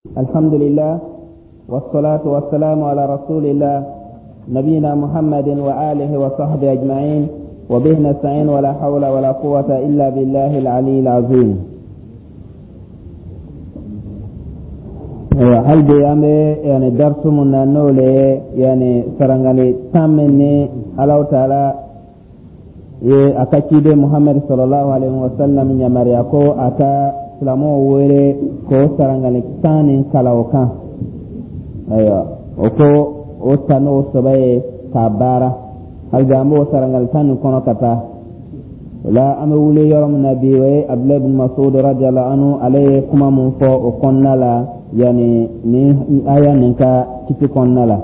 الحمد لله والصلاة والسلام على رسول الله نبينا محمد وآله وصحبه أجمعين وبه نستعين ولا حول ولا قوة إلا بالله العلي العظيم. Hali bi an bɛ yani darisu mun na, n'o le ye yani sarangali 10 min ni Alahu Taala ye a ka ciden Muhamadu sallallahu alaihi wa sallam yamaruya ko a ka silamɛw wele k'o sarangali 10 nin kalan o kan. Ayiwa, o ko o ta n'o sɛbɛ ye k'a baara. Hali bi an b'o sarangali 10 nin kɔnɔ ka taa. O la, an bɛ wuli yɔrɔ min na bi, o ye Abdulayi bin Masud radiyallahu anhu, ale ye kuma mun fɔ o kɔnɔna la, yani ni aya nin ka kiti kɔnɔna la.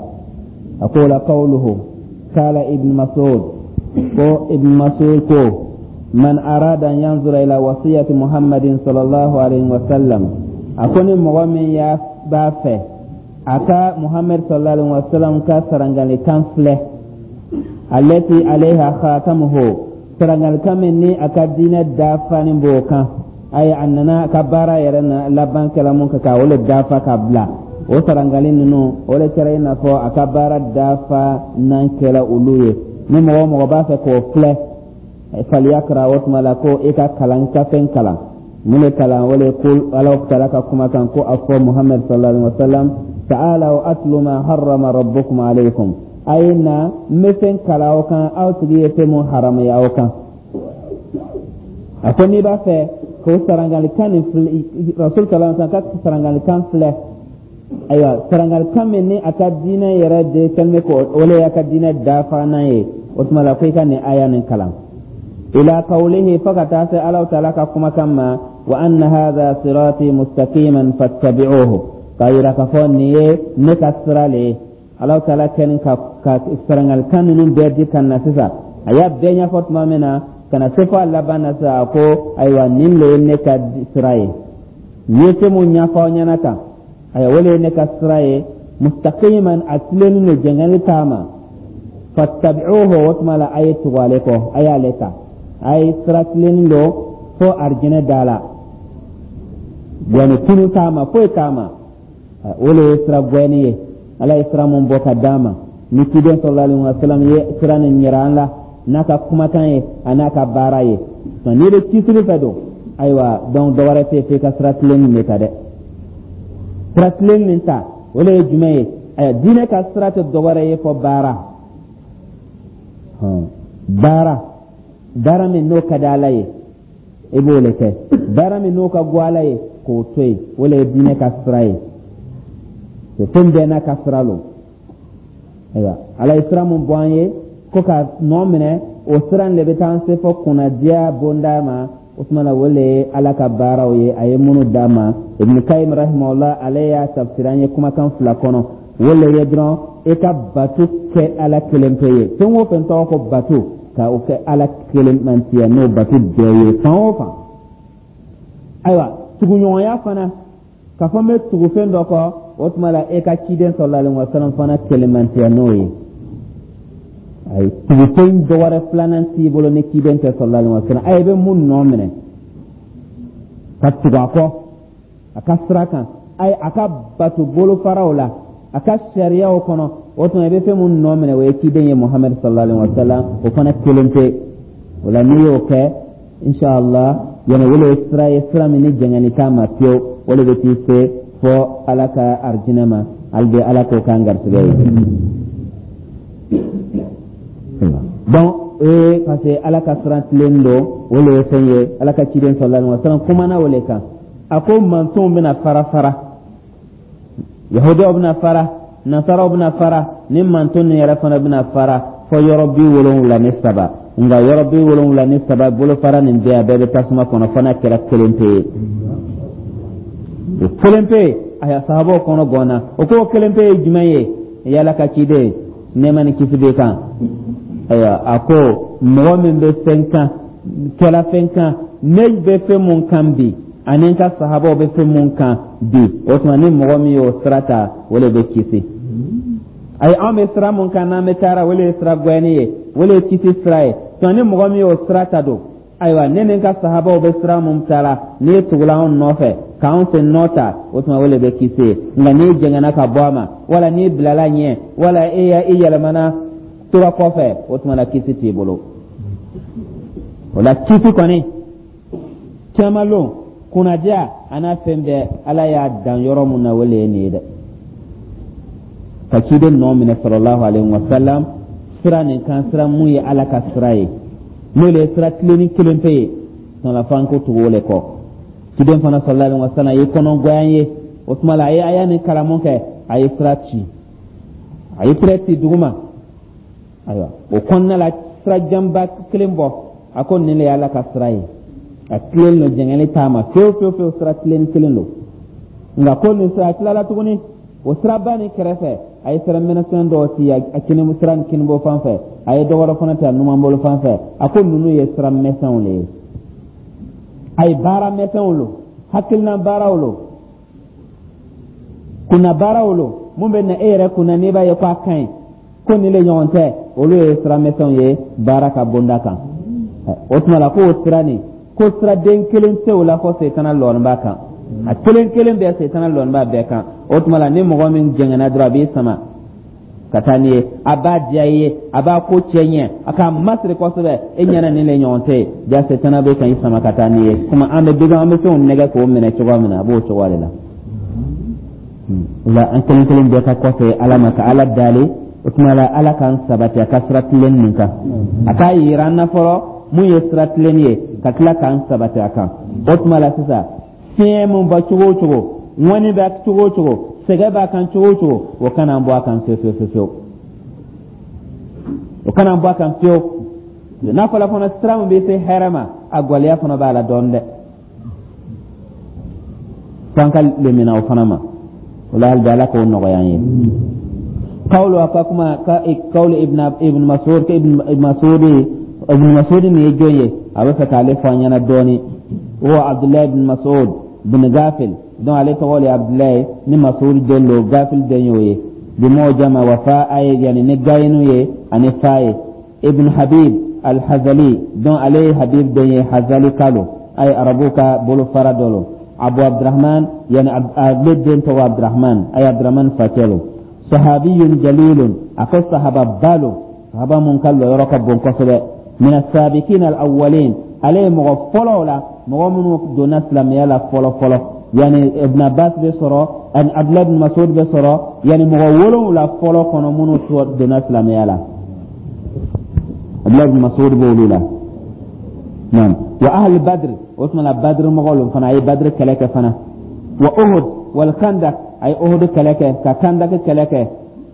A ko la qawluhu kala Ibn Masud, ko Ibn Masud ko: man arada an yanzura ila wasiyati Muhammadin sallallahu alaihi wa sallam, a ko ni mɔgɔ min y'a b'a fɛ a ka Muhammad sallallahu alaihi wa sallam ka sarangalikan filɛ, allati alaiha khatamuhu, sarangalikan min ni a ka diinɛ dafanin b'o kan, ayi, a nana a ka baara yɛrɛ na laban kɛla mun kan ka o le dafa ka bila, o sarangali ninnu, o le kɛra i n'a fɔ a ka baara dafa nan kɛla olu ye. Ni mɔgɔ o mɔgɔ b'a fɛ k'o filɛ, falyakra, o tuma la ko i ka kalan kafe kalan. Mun de kalan? O le ko Ala taala ka kuma kan ko a fɔ Muhammad sallallahu alaihi wa sallam: ta'alaw atlu ma harrama rabbukum alaykum, a ye na, n bɛ fɛn kalan aw kan, aw tigi ye fɛn mun haramuya aw kan. A ko n'i b'a fɛ k'o sarangalikan nin filɛ, rasul sallallahu alaihi wa sallam ka sarangalikan filɛ, ayiwa, sarangalikan min ni a ka diinɛ yɛrɛ de kɛlen bɛ k'o o le y'a ka diinɛ dafanan ye, o tuma la ko i ka nin aya nin kalan, ila qawlihi, fo ka taa se Alahu taala ka kumakan ma: wa anna hadha sirati mustaqiman fattabi'uhu, k'a yira k'a fɔ nin ye ne ka sira le ye. Alahu taala kɛlen ka sarangalikan ninnu bɛɛ di ka na sisan, a y'a bɛɛ ɲɛfɔ tuma min na ka na se fo a laban na sisan, a ko: ayiwa, nin le ye ne ka sira ye, n ye fɛn mun ɲɛfɔ aw ɲɛna tan, ayiwa, o le ye ne ka sira ye, mustaqiman, a tilennen don, jɛngɛli t'a ma, fattabi'uhu, o tuma la a ye tugu ale kɔ, a y'ale ta, a ye sira tilennen don fo arijinɛ da la, yani tunu t'a ma, foyi t'a ma, o le ye sira gwɛni ye. Ala ye sira mun bɔ ka d'a ma ni ciden sallallahu alaihi wa sallam ye sira nin yira an la n'a ka kumakan ye, a n'a ka baara ye. N'i bɛ kisili fɛ don, ayiwa, donc dɔ wɛrɛ tɛ yen f'i ka sira tilennen de ta dɛ. Sira tilennen ta, o le ye jumɛn ye? Ayiwa, diinɛ ka sira tɛ dɔ wɛrɛ ye fɔ baara, baara, baara min n'o ka di Ala ye, i b'o le kɛ, baara min n'o ka go Ala ye, k'o to yen, o le ye diinɛ ka sira ye. Fɛn bɛɛ n'a ka sira lo. Ayiwa, Ala ye sira mun bɔ an ye ko ka nɔ minɛ, o sira in de bɛ taa an se fɔ kunnadiya bonda ma. O tuma la, o le ye Ala ka baaraw ye a ye minnu d'a ma. Ibn Kayim rahimahullah, ale y'a tafsiri an ye kumakan fila kɔnɔ. O le ye dɔrɔn i ka bato kɛ Ala kelen pe ye. Fɛn o fɛn tɔgɔ ko bato, ka o kɛ Ala kelen mantiya n'o bato bɛɛ ye fan o fan. Ayiwa, tuguɲɔgɔnya fana, k'a fɔ n bɛ tugu fɛn dɔ kɔ, o tuma la e ka ciden sallallahu alaihi wa sallam fana kelen mantiya n'o ye. Ayi, tugufɛn dɔ wɛrɛ filanan t'i bolo ni ciden tɛ sallallahu alaihi wa sallam. Ayi, i bɛ mun nɔ minɛ ka tugu a kɔ a ka sira kan, ayi, a ka bato bolofaraw la, a ka sariyaw kɔnɔ, o tuma i bɛ fɛn mun nɔ minɛ, o ye ciden ye Muhamadu sallallahu alaihi wa sallam, o fana kelen pe. O la, n'i y'o kɛ, inshallah, yani o le ye sira ye, sira min ni jɛngɛni t'a ma fiyewu, o le bɛ t'i se fɔ Ala ka arijinɛ ma. Hali bi, Ala k'o k'an garisɛgɛ ye. Donc parce que Ala ka sira tilen don, o le ye fɛn ye. Ala ka ciden sallallahu alaihi wa sallam kumana o le kan. A ko mantonw bɛna fara fara, yahudiyaw bɛna fara, nasaraw bɛna fara, ni manton nin yɛrɛ fana bɛna fara fɔ yɔrɔ 73. Nka yɔrɔ 73 bolofara nin bɛɛ, a bɛɛ bɛ tasuma kɔnɔ, fo n'a kɛra kelen pe ye. O kelen pe, a sahabaw kɔnɔ gɔnna. O ko o kelen pe ye jumɛn ye, yala ka ciden, nɛɛma ni kisi b'i kan? Ayiwa, a ko mɔgɔ min bɛ fɛn kan, kɛla fɛn kan, ne bɛ fɛn mun kan bi, ani n ka sahabaw bɛ fɛn mun kan bi, o tuma ni mɔgɔ min y'o sira ta, o de bɛ kisi. Ayi, anw bɛ sira mun kan n'an bɛ taara, o de ye sira gwɛni ye, o de ye kisi sira ye. Tuma ni mɔgɔ min y'o sira ta don, ayiwa, ne ni n ka sahabaw bɛ sira mun ta la, n'i ye tugula anw nɔfɛ. K'anw sen nɔ ta, o tuma o le bɛ kisi ye. Nka n'i jɛngɛnna ka bɔ a ma, wala n'i bilala ɲɛ, wala e ya i yɛlɛmana tora kɔfɛ, o tuma la kisi t'i bolo. O la kisi kɔni, camalon kunnadiya a n'a fɛn bɛɛ, Ala y'a dan yɔrɔ mun na, o le ye nin ye dɛ, ka ciden nɔ minɛ sallallahu alaihi wa sallam sira nin kan, sira mun ye Ala ka sira ye, n'o le ye sira tilenni kelen pe ye. Tuma f'an ko tugu o le kɔ. Ciden fana sallallahu alaihi wa sallam ye kɔnɔgɔya ye. O tuma la a ye aya nin kalamu kɛ, a ye sira ci, a ye tɛrɛ ci duguma. Ayiwa, o kɔnɔna la, sira janba kelen bɔ, a ko nin de ye Ala ka sira ye, a tilen don, jɛngɛli t'a ma fewu fewu fewu, sira tilen kelen don. Nka ko nin sira, a tilala tuguni, o siraba nin kɛrɛfɛ, a ye sira mɛnɛsɛn dɔw ci a kini sira nin kinibɔ fan fɛ, a ye dɔ wɛrɛ fana ta numanbolo fan fɛ. A ko ninnu ye sira mɛsɛnw de ye, a ye baara mɛsɛnw lo, hakilina baaraw lo, kunna baaraw lo, mun bɛ na e yɛrɛ kunna n'i b'a ye ko a ka ɲi, ko nin de ɲɔgɔn tɛ. Olu ye sira mɛsɛnw ye baara ka bonda kan. O tuma la k'o sira nin, ko siraden kelen tɛ o la fɔ Setana lɔɔni b'a kan. A kelen kelen bɛɛ, Setana lɔɔni b'a bɛɛ kan. O tuma la ni mɔgɔ min jɛngɛnna dɔrɔn, a b'i sama ka taa n'i ye, a b'a diya i ye, a b'a ko cɛ ɲɛ, a k'a masiri kosɛbɛ, e ɲɛna nin de ɲɔgɔn tɛ yen. Ja Setana bɛ ka i sama ka taa n'i ye. Komi an bɛ bidɔn, an bɛ fɛnw nɛgɛ k'o minɛ cogoya min na, a b'o cogoya de la. O la an kelen kelen bɛɛ ka kɔfɛ Ala ma, ka Ala dali. O tuma la Ala k'an sabati a ka sira tilen nin kan. A k'a yira an na fɔlɔ mun ye sira tilen ye, ka tila k'an sabati a kan. O tuma la sisan, fiɲɛ mun ba cogo o cogo, ŋɔni bɛ cogo o cogo, sɛgɛ b'a kan cogo o cogo, o kana an bɔ a kan fewu fewu fewu, o kana an bɔ a kan fewu. N'a fɔra fana sira min bɛ se hɛrɛ ma, a gwɛlɛya fana b'a la dɔɔnin dɛ, f'an ka lemina o fana ma. O la hali bi, Ala k'o nɔgɔya an ye. Kawulu, a ka kuma ka kawulu Ibn Mas'ud, ka Ibn Mas'ud, Ibn Mas'ud nin ye jɔn ye? A bɛ fɛ k'ale fɔ an ɲɛna dɔɔni. O Abdullahi ibn Mas'ud bin Gafil. Donc ale tɔgɔ le Abdullahi ni Mas'ud den don, Gafil den y'o ye. Bi mujama wa fa ye, yani ni gayinu ye ani fa ye. Ibn Habib al-Hazali. Donc ale ye Habib den ye, Hazali kalo ay Arabu ka bolofara dɔ lo. Abu Abdurrahman, yani ale den tɔgɔ Abdurrahman, ay Abdurrahman facɛ lo. Sahabiyun jalilun, a ko sahaba ba lo, sahaba mun ka lɔyɔrɔ ka bon kosɛbɛ. Min asabikin al-awwalin, ale ye mɔgɔ fɔlɔw la, mɔgɔ minnu donna silamɛya la fɔlɔ fɔlɔ, yani Ibn Abbas bɛ sɔrɔ ani Abdullah ibn Mas'ud bɛ sɔrɔ, yani mɔgɔ 7 fɔlɔ kɔnɔ minnu donna silamɛya la, Abdullah ibn Mas'ud b'olu la. Naam, wa ahli Badr, o tuma la Badr mɔgɔw lo fana, a ye Badr kɛlɛ kɛ fana. Wa Uhud wal Khandak, a ye Uhud kɛlɛ kɛ, ka Khandak kɛlɛ kɛ.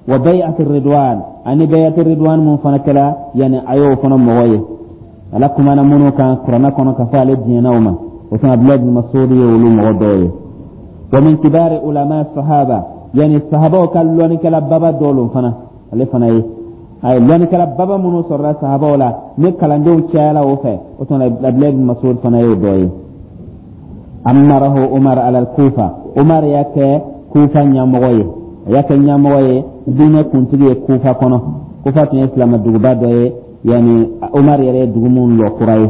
Wa bay'at Ridwan, ani bay'at Ridwan mun fana kɛla, yani a y'o fana mɔgɔ ye. Ala kumana minnu kan Kuranɛ kɔnɔ ka fɔ ale diɲɛna o ma, o tuma Abdullah ibn Mas'ud ye olu mɔgɔ dɔw ye. Wa min kibari ulama sahaba, yani sahabaw ka lɔnnikɛla baba dɔw lo fana, ale fana ye. A ye lɔnnikɛla baba minnu sɔrɔla sahabaw la ni kalandenw cayala o fɛ, o tuma Abdullah ibn Mas'ud fana y'o dɔ ye. Amarahu Umar ala Kufa, Umar y'a kɛ Kufa ɲɛmɔgɔ ye, a y'a kɛ ɲɛmɔgɔ ye, diinɛ kuntigi ye Kufa kɔnɔ. Kufa tun ye silamɛ duguba dɔ ye, yani Umar yɛrɛ ye dugu mun lɔ kura ye.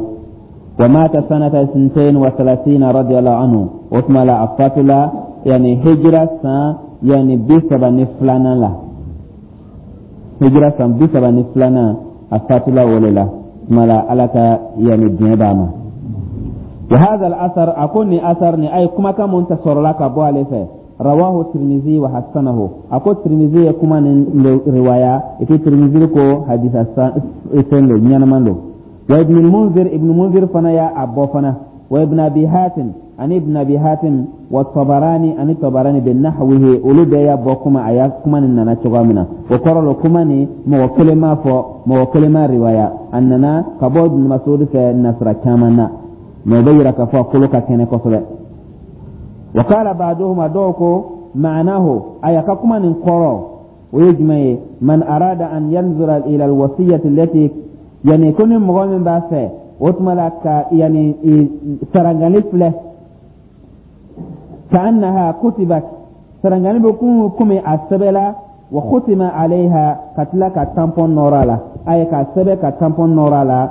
Wa mata sanata 32 radiyallahu anhu, o tuma la a fatula yani hijira san yani 32nan la, hijira san 32nan a fatula o le la. Tuma la Ala ka yani diɲɛ b'a ma. Wa hadha al-athar, a ko ni asar ni ay kumakan mun ta sɔrɔla ka bɔ ale fɛ, rawahu Tirmizi wa hasanahu, a ko Tirmizi ye kuma nin riwaya, et puis Tirmizi ko hadisa fɛn lo, ɲɛnama lo. Wa Ibn Munzir, Ibn Munzir fana y'a a bɔ fana. Wa Ibn Abi Hatim, ani Ibn Abi Hatim, wa Tabarani, ani Tabarani, bi nahwihi, olu bɛɛ y'a bɔ kuma a ya kuma nin nana cogoya min na. O kɔrɔ lo, kuma nin mɔgɔ kelen m'a fɔ, mɔgɔ kelen m'a riwaya, a nana ka bɔ Ibn Mas'ud fɛ nasira caman na, mais o bɛ yira k'a fɔ a kolo ka kɛnɛ kosɛbɛ. Wa qala ba'duhum, a dɔw ko ma'anahu, a y'a ka kuma nin kɔrɔ o ye jumɛn ye? Man arada an yanzura ila alwasiyati allati, yani ko ni mɔgɔ min b'a fɛ, o tuma la ka yani sarangali filɛ, ka annaha kutibat, sarangali bɛ kun komi a sɛbɛla, wa khutima alayha, ka tila ka tampon nɔrɔ a la, a ye k'a sɛbɛ ka tampon nɔrɔ a la,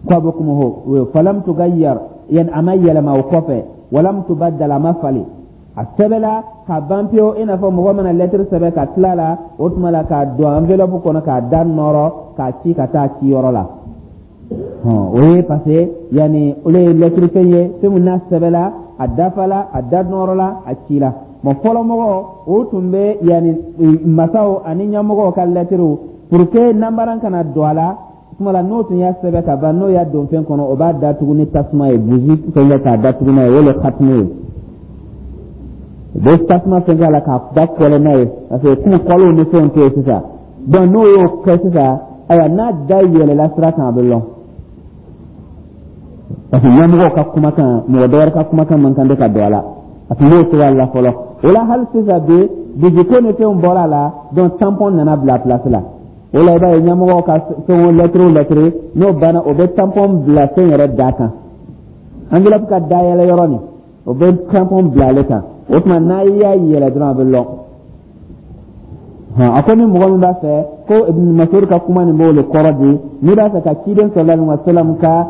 ko a bɛ kuma ho falam tugayyar, yani a ma yɛlɛma o kɔfɛ. Walam tubaddal, a ma falen, a sɛbɛla ka ban pewu, i n'a fɔ mɔgɔ mana lɛtiri sɛbɛn ka tila la, o tuma la k'a don enveloppe kɔnɔ k'a da nɔrɔ k'a ci ka taa ciyɔrɔ la. O ye parce que yanni olu ye lɛtiri fɛn ye, fɛn min n'a sɛbɛla, a dafala, a da nɔrɔla, a cila. Bon, fɔlɔmɔgɔ o tun bɛ yanni masaw ani ɲɛmɔgɔw ka lɛtiriw, pour que nanbaran kana don a la, tuma la n'o tun y'a sɛbɛn ka ban, n'o y'a don fɛn kɔnɔ, o b'a datugu ni tasuma ye, buzi fɛn kɛ k'a datugu n'a ye, o le katimu ye. U bɛ tasuma fɛn k'a la k'a da kɔlɛ n'a ye, parce que komi kɔliw ni fɛnw tɛ yen sisan. Donc n'o y'o kɛ sisan, ayiwa, n'a da yɛlɛla sira kan, a bɛ lɔn, parce que ɲɛmɔgɔw ka kumakan, mɔgɔ dɔ wɛrɛ ka kumakan man kan tɛ ka don a la. A tun b'o cogoya la fɔlɔ. O la hali sisan bi, buziko ni fɛnw bɔra a la, donc tampon nana bila place la. O la i b'a ye ɲɛmɔgɔw ka fɛn o lɛtiri o lɛtiri, n'o banna, o bɛ tampon bila fɛn yɛrɛ da kan, enveloppe ka dayɛlɛ yɔrɔ nin, o bɛ tampon bila ale kan. O tuma n'a y'a yɛlɛ dɔrɔn, a bɛ lɔn. A ko ni mɔgɔ min b'a fɛ ko Ibn Mas'ud ka kuma nin b'o le kɔrɔ di, n'i b'a fɛ ka ciden sallallahu alaihi wa sallam ka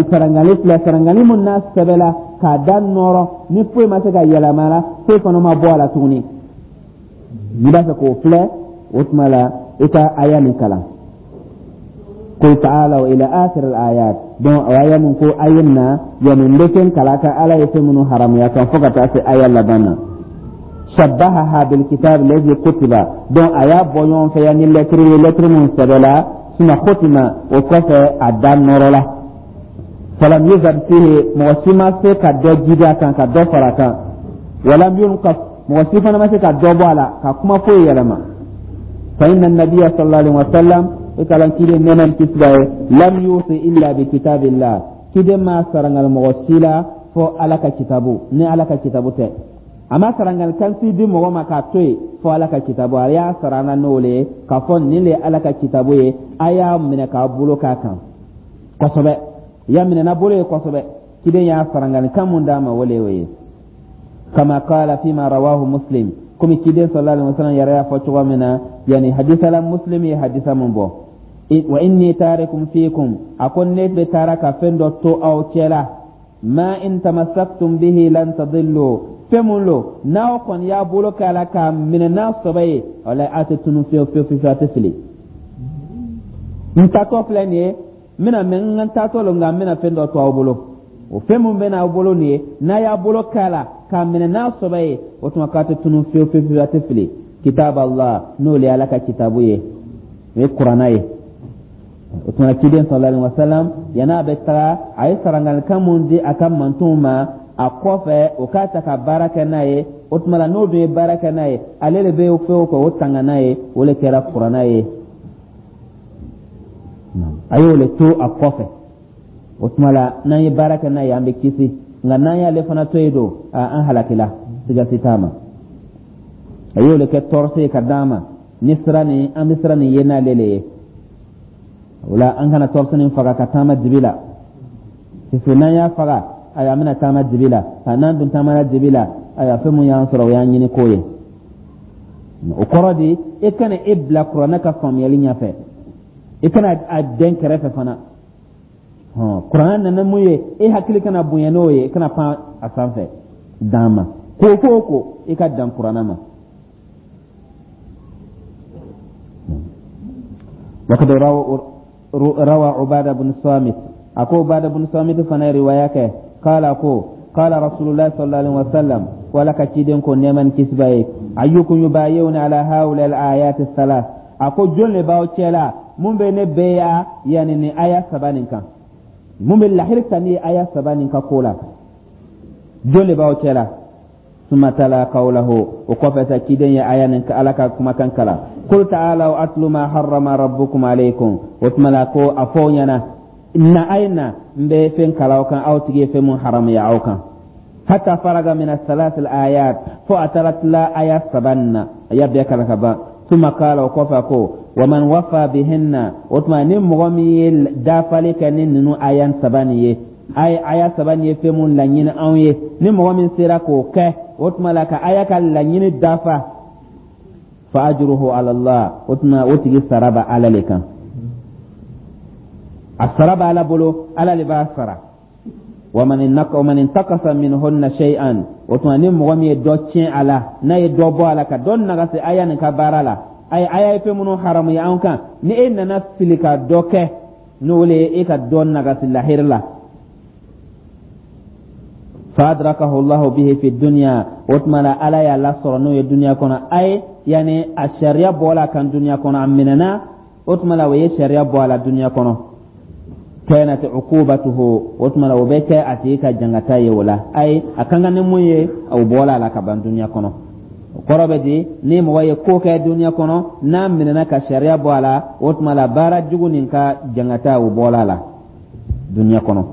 sarangali filɛ, sarangali mun n'a sɛbɛla k'a da nɔrɔ, ni foyi ma se ka yɛlɛma la, foyi fana ma bɔ a la tuguni, n'i b'a fɛ k'o filɛ, o tuma la i ka aya nin kalan, qul ta'alaw ila akhir al-ayat. Donc o aya nin ko a ye na, yani n bɛ fɛn kalan ka Ala ye fɛn minnu haramuya kan, fo ka taa se aya laban na. Shabbahaha bil kitab alladhi kutiba, donc a y'a bɔ ɲɔgɔn fɛ yan ni lɛtiri ye, lɛtiri mun sɛbɛla, suma khutima, o kɔfɛ a da nɔrɔla. Falam yuzad fihi, mɔgɔ si ma se ka dɔ jidi a kan ka dɔ fara a kan, walam yunqas, mɔgɔ si fana ma se ka dɔ bɔ a la ka kuma foyi yɛlɛma. Fa inna nabiyya sallallahu alaihi wa sallam, i kalan ciden nɛɛma ni kisi b'a ye, lam yusi illa bi kitabillah, ciden ma sarangali mɔgɔ si la fo Ala ka kitabu, ni Ala ka kitabu tɛ, a ma sarangali kan si di mɔgɔ ma k'a to yen fo Ala ka kitabu. A y'a sarana n'o le ye k'a fɔ nin le ye Ala ka kitabu ye, a y'a minɛ k'a bolo k'a kan kosɛbɛ, y'a minɛ n'a bolo ye kosɛbɛ. Ciden y'a sarangali kan mun d'a ma, o le y'o ye. Kama qala fima rawahu Muslim, komi ciden sallallahu alaihi wasallam yɛrɛ y'a fɔ cogo min na, yani hadisa la, Muslim ye hadisa mun bɔ, wa inni tarikum fikum, a ko ne bɛ taara ka fɛn dɔ to aw cɛ la, ma in tamassaktum bihi lan tadillu, fɛn mun lo n'aw kɔni y'a bolo k'a la k'a minɛ n'a sɔbɛ ye, walahi a tɛ tunu fiyewu fiyewu fiyewu, a tɛ fili. N taatɔ filɛ nin ye, n bɛna mɛ n ka taatɔ lo, nka n bɛna fɛn dɔ to aw bolo. O fɛn mun bɛ n'aw bolo nin ye, n'a y'a bolo k'a la k'a minɛ n'a sɔbɛ ye, o tuma k'a tɛ tunu fiyewu fiyewu fiyewu, a tɛ fili. Kitab Allah, n'o le ye Ala ka kitabu ye, o ye Kuranna ye. O tuma ciden sallallahu alaihi wasallam, yan'a bɛ taga, a ye sarangalikan mun di a ka mantonw ma a kɔfɛ, o k'a ta ka baara kɛ n'a ye. O tuma la n'o dun ye baara kɛ n'a ye, ale de bɛ fɛn o kɛ o tanga n'a ye, o le kɛra Kuranna ye. A y'o le to a kɔfɛ. O tuma la n'an ye baara kɛ n'a ye, an bɛ kisi, nka n'an y'ale fana to yen don, an halakila, siga si t'a ma. A y'o le kɛ tɔɔrɔso ye ka d'an ma ni sira nin, an bɛ sira nin ye n'ale le ye. O la an kana tɔɔrɔso nin faga ka taama dibi la, parce que n'an y'a faga, ayiwa, an bɛna taama dibi la. N'an dun taamana dibi la, ayiwa, fɛn mun y'an sɔrɔ, o y'an ɲini ko ye. O kɔrɔ di, e kana e bila Kuranɛ ka faamuyali ɲɛfɛ, i kana a dɛn kɛrɛfɛ fana. Kuranɛ nana mun ye, e hakili kana bonya n'o ye, i kana pan a sanfɛ dan ma. Ko ko o ko, i ka dan Kuranɛ ma. Wakad rawa Ubada bin Samit, a ko Ubada bin Samit fana ye riwaya kɛ, kala ko qala Rasulullah sallallahu alaihi wasallam, ko Ala ka ciden ko nɛɛma ni kisi b'a ye, ayyukum yubayi'uni ala haula al ayat thalath, a ko jɔn le b'aw cɛ la mun bɛ ne bɛya yanni nin aya saba nin kan, mun bɛ lahiri ta ne ye aya saba nin ka ko la, jɔn le b'aw cɛ la? Summa tala qawlahu, o kɔfɛ sa ciden ye aya nin Ala ka kumakan kalan, qul ta'alaw atlu ma harrama rabbukum alaykum. O tuma la ko a fɔ aw ɲɛna na, a ye na, n bɛ fɛn kalan aw kan aw tigi ye fɛn mun haramuya aw kan. Hatta faraga min athalath alayat, fo a taara tila aya saba nin na, a y'a bɛɛ kalan ka ban. Summa qala, o kɔfɛ ko wa man wafa bihinna, o tuma ni mɔgɔ min ye dafali kɛ ni ninnu aya saba nin ye, a ye aya saba nin ye fɛn mun laɲini anw ye, ni mɔgɔ min sera k'o kɛ, o tuma la ka aya ka laɲini dafa, fa ajruhu ala Allah, o tuma o tigi sara bɛ Ala le kan, a sara bɛ Ala bolo, Ala le b'a sara. Wa man intakasa minhunna shay'an, o tuma ni mɔgɔ min ye dɔ tiɲɛ a la, n'a ye dɔ bɔ a la, ka dɔ nagasi aya nin ka baara la, ayi, aya ye fɛn minnu haramuya an kan, ni e nana fili ka dɔ kɛ, n'o le ye e ka dɔ nagasi lahiri la, fa adrakahu Allahu bihi fi dunya, o tuma la Ala y'a lasɔrɔ n'o ye duniya kɔnɔ, ayi, yani a sariya bɔla a kan duniya kɔnɔ, a minɛna, o tuma la o ye sariya bɔ a la duniya kɔnɔ, kanat uqubatuhu, o tuma la o bɛ kɛ a tigi ka jangata ye o la. Ayi, a kan ka ni mun ye, o bɔla a la ka ban duniya kɔnɔ. O kɔrɔ bɛ di? Ni mɔgɔ ye ko kɛ duniya kɔnɔ, n'a minɛna ka sariya bɔ a la, o tuma la baara jugu nin ka jangata, o bɔla a la duniya kɔnɔ.